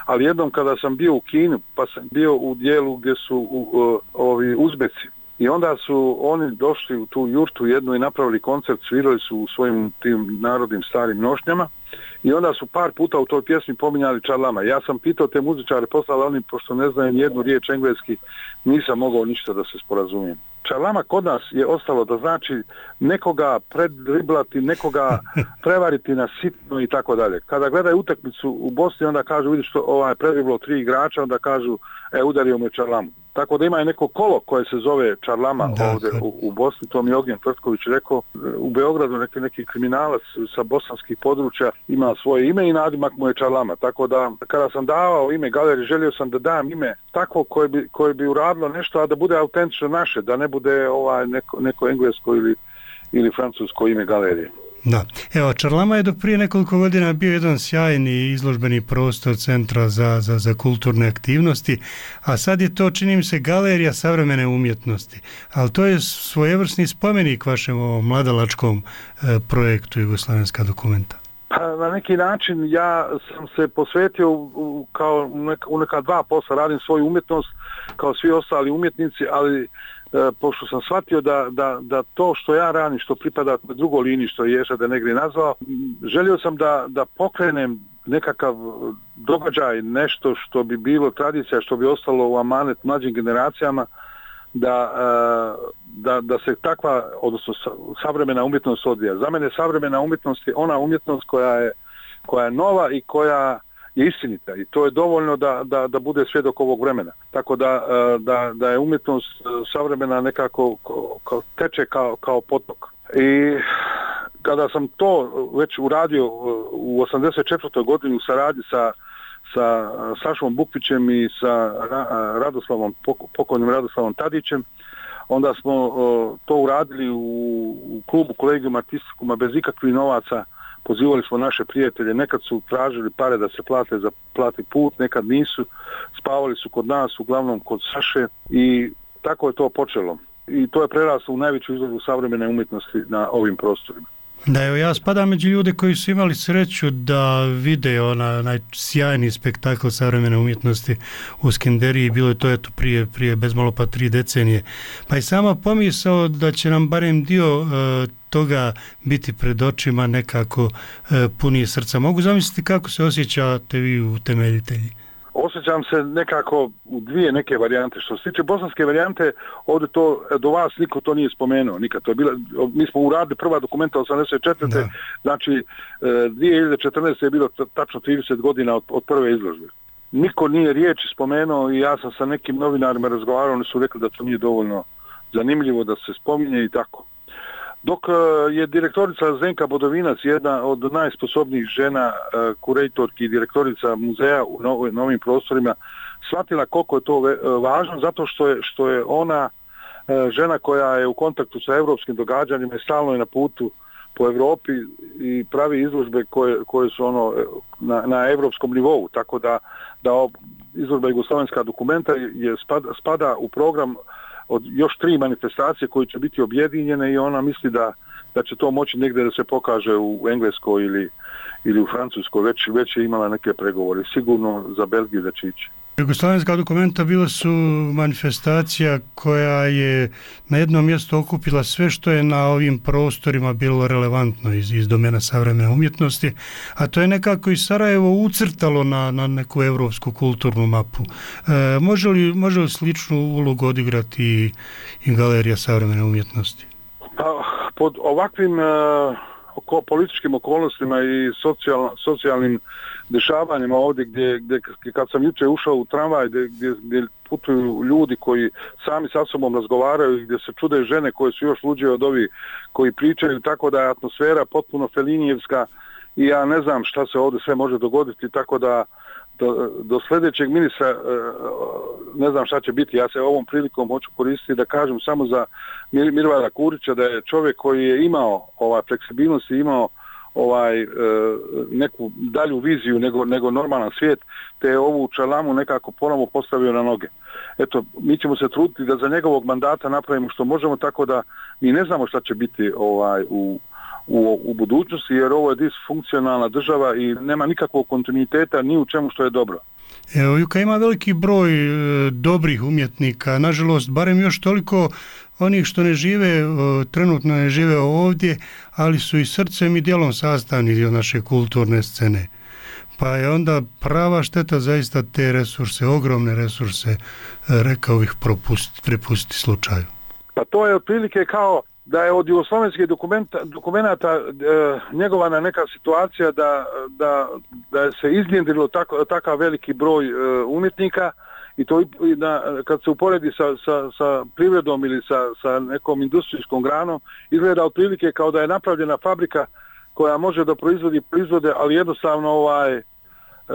Ali jednom kada sam bio u Kinu, pa sam bio u dijelu gdje su u, u, ovi Uzbeci. I onda su oni došli u tu jurtu jednu i napravili koncert, svirali su u svojim tim narodnim starim nošnjama. I onda su par puta u toj pjesmi pominjali Čarlama. Ja sam pitao te muzičare, poslali oni, pošto ne znaju nijednu riječ engleski, nisam mogao ništa da se sporazumijem. Čarlama kod nas je ostalo da znači nekoga predriblati, nekoga prevariti na sitno i tako dalje. Kada gledaju utakmicu u Bosni, onda kažu, vidiš što ovaj predriblo tri igrača, onda kažu, e, udario mu je Čarlamu. Tako da ima neko kolo koje se zove Čarlama da, ovdje u, u Bosni, to mi je Ognjen Tvrtković rekao. U Beogradu neki, neki kriminalac sa bosanskih područja ima svoje ime i nadimak mu je Čarlama. Tako da kada sam davao ime galeriji, želio sam da dam ime takvo koje bi, koje bi uradilo nešto, a da bude autentično naše, da ne bude ovaj neko, neko englesko ili, ili francusko ime galerije.
Da. Evo, Čarlama je do prije nekoliko godina bio jedan sjajni izložbeni prostor Centra za, za, za kulturne aktivnosti, a sad je to, čini mi se, Galerija savremene umjetnosti. Ali to je svojevrsni spomenik vašem ovom mladalačkom e, projektu Jugoslavenska dokumenta.
Pa, na neki način ja sam se posvetio u, kao u neka, u neka dva posla, radim svoju umjetnost kao svi ostali umjetnici, ali E, pošto sam shvatio da, da, da to što ja radim, što pripada drugoj liniji, što je Ješa de Negri nazvao, želio sam da, da pokrenem nekakav događaj, nešto što bi bilo tradicija, što bi ostalo u amanet mlađim generacijama, da, e, da, da se takva, odnosno savremena umjetnost odvija. Za mene savremena umjetnost je ona umjetnost koja je, koja je nova i koja je istinita i to je dovoljno da, da, da bude svjedok ovog vremena. Tako da, da, da je umjetnost savremena nekako kao, teče kao, kao potok. I kada sam to već uradio u osamdeset četvrtoj godini u saradnji sa, sa Sašom Bukvićem i sa Radoslavom, pokojnim Radoslavom Tadićem, onda smo to uradili u, u klubu Kolegium Artisticuma bez ikakvih novaca. Pozivali smo naše prijatelje, nekad su tražili pare da se plate za plati put, nekad nisu, spavali su kod nas, uglavnom kod Saše i tako je to počelo. I to je preraslo u najveću izložbu savremene umjetnosti na ovim prostorima.
Da, evo, ja spadam među ljude koji su imali sreću da vide ona najsjajni spektakl savremene umjetnosti u Skenderiji, bilo je to eto prije, prije bez malo pa tri decenije. Pa i sama pomisao da će nam barem dio e, toga biti pred očima nekako e, punije srca. Mogu zamisliti kako se osjećate vi utemeljitelji?
Osjećam se nekako u dvije neke varijante. Što se tiče bosanske varijante, ovdje to do vas niko to nije spomenuo. Nikad. To je bila, mi smo uradili prva dokumenta osamdeset četvrte. Da. Znači dvije hiljade četrnaeste je bilo tačno trideset godina od, od prve izložbe. Niko nije riječi spomenuo i ja sam sa nekim novinarima razgovarao, oni su rekli da to nije dovoljno zanimljivo da se spominje i tako. Dok je direktorica Zdenka Bodovinac, jedna od najsposobnijih žena, kurejtorki i direktorica muzeja u novim prostorima, shvatila koliko je to važno, zato što je, što je ona žena koja je u kontaktu sa europskim događanjima i stalno je na putu po Europi i pravi izložbe koje, koje su ono na, na europskom nivou, tako da, da izložba Jugoslavenska dokumenta je spada, spada u program od još tri manifestacije koje će biti objedinjene i ona misli da, da će to moći negdje da se pokaže u Engleskoj ili, ili u Francuskoj, već, već je imala neke pregovore, sigurno za Belgiju da će ići.
Jugoslavenska dokumenta bila su manifestacija koja je na jednom mjestu okupila sve što je na ovim prostorima bilo relevantno iz, iz domena savremene umjetnosti, a to je nekako i Sarajevo ucrtalo na, na neku evropsku kulturnu mapu. E, može li, može li sličnu ulogu odigrati i, i Galerija savremene umjetnosti?
Pa, pod ovakvim uh, oko, političkim okolnostima i socijal, socijalnim dešavanjima ovdje gdje, gdje kad sam jučer ušao u tramvaj gdje, gdje, gdje putuju ljudi koji sami sa sobom razgovaraju i gdje se čude žene koje su još luđe od ovih koji pričaju, tako da je atmosfera potpuno felinijevska i ja ne znam šta se ovdje sve može dogoditi, tako da do, do sljedećeg ministra ne znam šta će biti. Ja se ovom prilikom hoću koristiti da kažem samo za Mir, Mirvara Kurića da je čovjek koji je imao ovaj fleksibilnost i imao ovaj e, neku dalju viziju nego, nego normalan svijet, te je ovu čalamu nekako ponovo postavio na noge. Eto, mi ćemo se truditi da za njegovog mandata napravimo što možemo, tako da mi ne znamo šta će biti ovaj u, u, u budućnosti, jer ovo je disfunkcionalna država i nema nikakvog kontinuiteta ni u čemu što je dobro.
Evo, Juka ima veliki broj e, dobrih umjetnika, nažalost, barem još toliko onih što ne žive, o, trenutno ne žive ovdje, ali su i srcem i djelom sastavni dio naše kulturne scene. Pa je onda prava šteta zaista te resurse, ogromne resurse, e, rekao bih, propustiti, prepustiti slučaju.
Pa to je otprilike kao da je od jugoslovenskih dokumenata e, njegovana neka situacija da, da, da se iznjedrilo tako, takav veliki broj e, umjetnika i to i na, kad se uporedi sa, sa, sa privredom ili sa, sa nekom industrijskom granom, izgleda otprilike kao da je napravljena fabrika koja može da proizvodi proizvode, ali jednostavno ovaj E,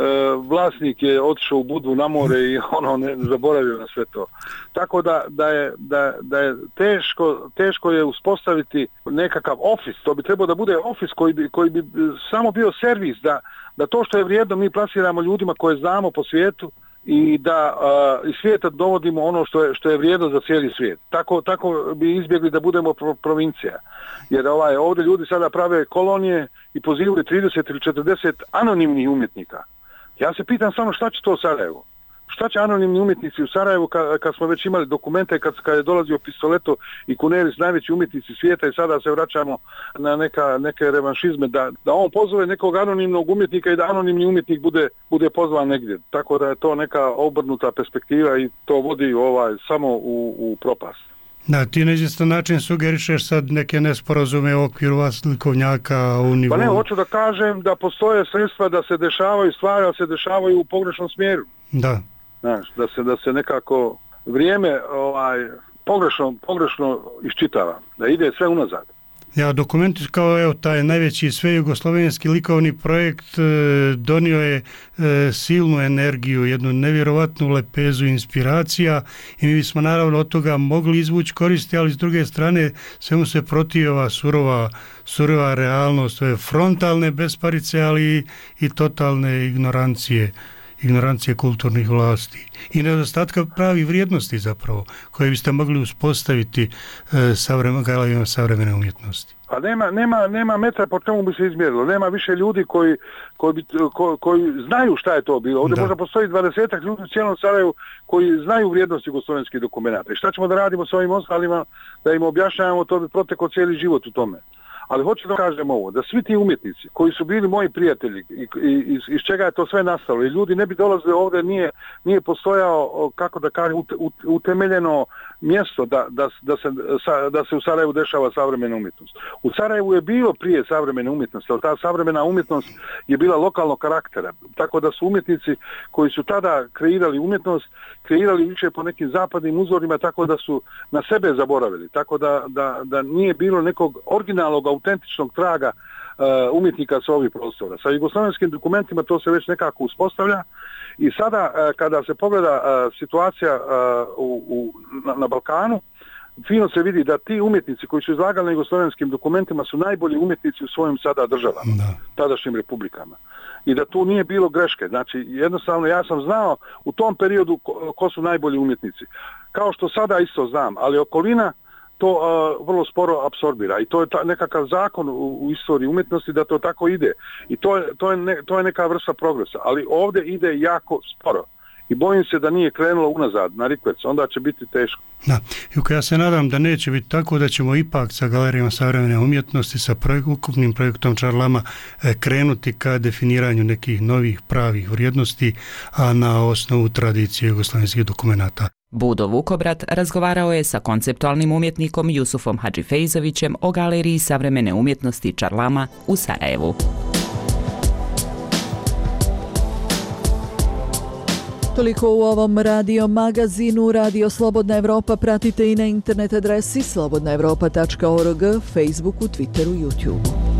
vlasnik je otišao u Budvu na more i ono ne zaboravio na sve to. Tako da, da, je, da, da je teško, teško je uspostaviti nekakav ofis. To bi trebao da bude ofis koji bi, koji bi samo bio servis, da, da to što je vrijedno mi plasiramo ljudima koje znamo po svijetu i da uh, iz svijeta dovodimo ono što je, što je vrijedno za cijeli svijet. Tako, tako bi izbjegli da budemo pro, provincija. Jer ovaj, ovdje ljudi sada prave kolonije i pozivaju trideset ili četrdeset anonimnih umjetnika. Ja se pitam samo šta će to u Sarajevu? Šta će anonimni umjetnici u Sarajevu kad, kad smo već imali dokumente, kad, kad je dolazio Pistoleto i Kuneris, najveći umjetnici svijeta, i sada se vraćamo na neka, neke revanšizme, da, da on pozove nekog anonimnog umjetnika i da anonimni umjetnik bude, bude pozvan negdje. Tako da je to neka obrnuta perspektiva i to vodi ovaj samo u, u propast.
Da, ti na izvjestan način sugerišeš sad neke nesporazume u okviru vas likovnjaka u nivou.
Pa ne, hoću da kažem da postoje sredstva da se dešavaju stvari, da se dešavaju u pogrešnom smjeru.
Da.
Znaš, da se, da se nekako vrijeme ovaj, pogrešno, pogrešno iščitava, da ide sve unazad.
Ja, dokument kao evo, taj najveći svejugoslovenski likovni projekt e, donio je e, silnu energiju, jednu nevjerovatnu lepezu inspiracija i mi bismo naravno od toga mogli izvući koristi, ali s druge strane svemu se protivi ova surova, surova realnost, ove frontalne besparice, ali i, i totalne ignorancije ignorancije kulturnih vlasti i nedostatka pravih vrijednosti zapravo, koje biste mogli uspostaviti e, savremen, galerijama savremene umjetnosti.
A nema, nema, nema metra po čemu bi se izmjerilo. Nema više ljudi koji, koji, bi, ko, koji znaju šta je to bilo. Ovdje da. Možda postoji dvadesetak ljudi u cijelom Sarajevu koji znaju vrijednosti jugoslovenskih dokumenata. I šta ćemo da radimo s ovim ostalima, da im objašnjavamo, to bi protekao cijeli život u tome. Ali hoću da kažem ovo, da svi ti umjetnici koji su bili moji prijatelji i, i iz, iz čega je to sve nastalo i ljudi ne bi dolazili ovdje, nije, nije postojao, kako da kažem, utemeljeno mjesto da, da, da, se, da se u Sarajevu dešava savremena umjetnost. U Sarajevu je bilo prije savremene umjetnosti, ali ta savremena umjetnost je bila lokalnog karaktera. Tako da su umjetnici koji su tada kreirali umjetnost, kreirali više po nekim zapadnim uzorima, tako da su na sebe zaboravili. Tako da, da, da nije bilo nekog originalnog autentičnog traga uh, umjetnika sa ovih prostora. Sa jugoslovenskim dokumentima to se već nekako uspostavlja i sada uh, kada se pogleda uh, situacija uh, u, u, na, na Balkanu, fino se vidi da ti umjetnici koji su izlagali na jugoslovenskim dokumentima su najbolji umjetnici u svojim sada državama, da. Tadašnjim republikama. I da tu nije bilo greške. Znači, jednostavno ja sam znao u tom periodu ko, ko su najbolji umjetnici. Kao što sada isto znam, ali okolina to uh, vrlo sporo apsorbira i to je ta, nekakav zakon u, u istoriji umjetnosti da to tako ide i to je, to, je ne, to je neka vrsta progresa, ali ovdje ide jako sporo i bojim se da nije krenulo unazad na rikverc, onda će biti teško.
Da, Juka, ja se nadam da neće biti tako, da ćemo ipak sa galerijama savremene umjetnosti, sa projek, ukupnim projektom Čarlama e, krenuti ka definiranju nekih novih pravih vrijednosti, a na osnovu tradicije jugoslavenskih dokumenata.
Budo Vukobrat razgovarao je sa konceptualnim umjetnikom Jusufom Hadžifejzovićem o galeriji savremene umjetnosti Čarlama u Sarajevu.
Toliko u ovom radio magazinu. Radio Slobodna Evropa pratite i na internet adresi slobodna evropa tačka org, Facebooku, Twitteru, YouTubeu.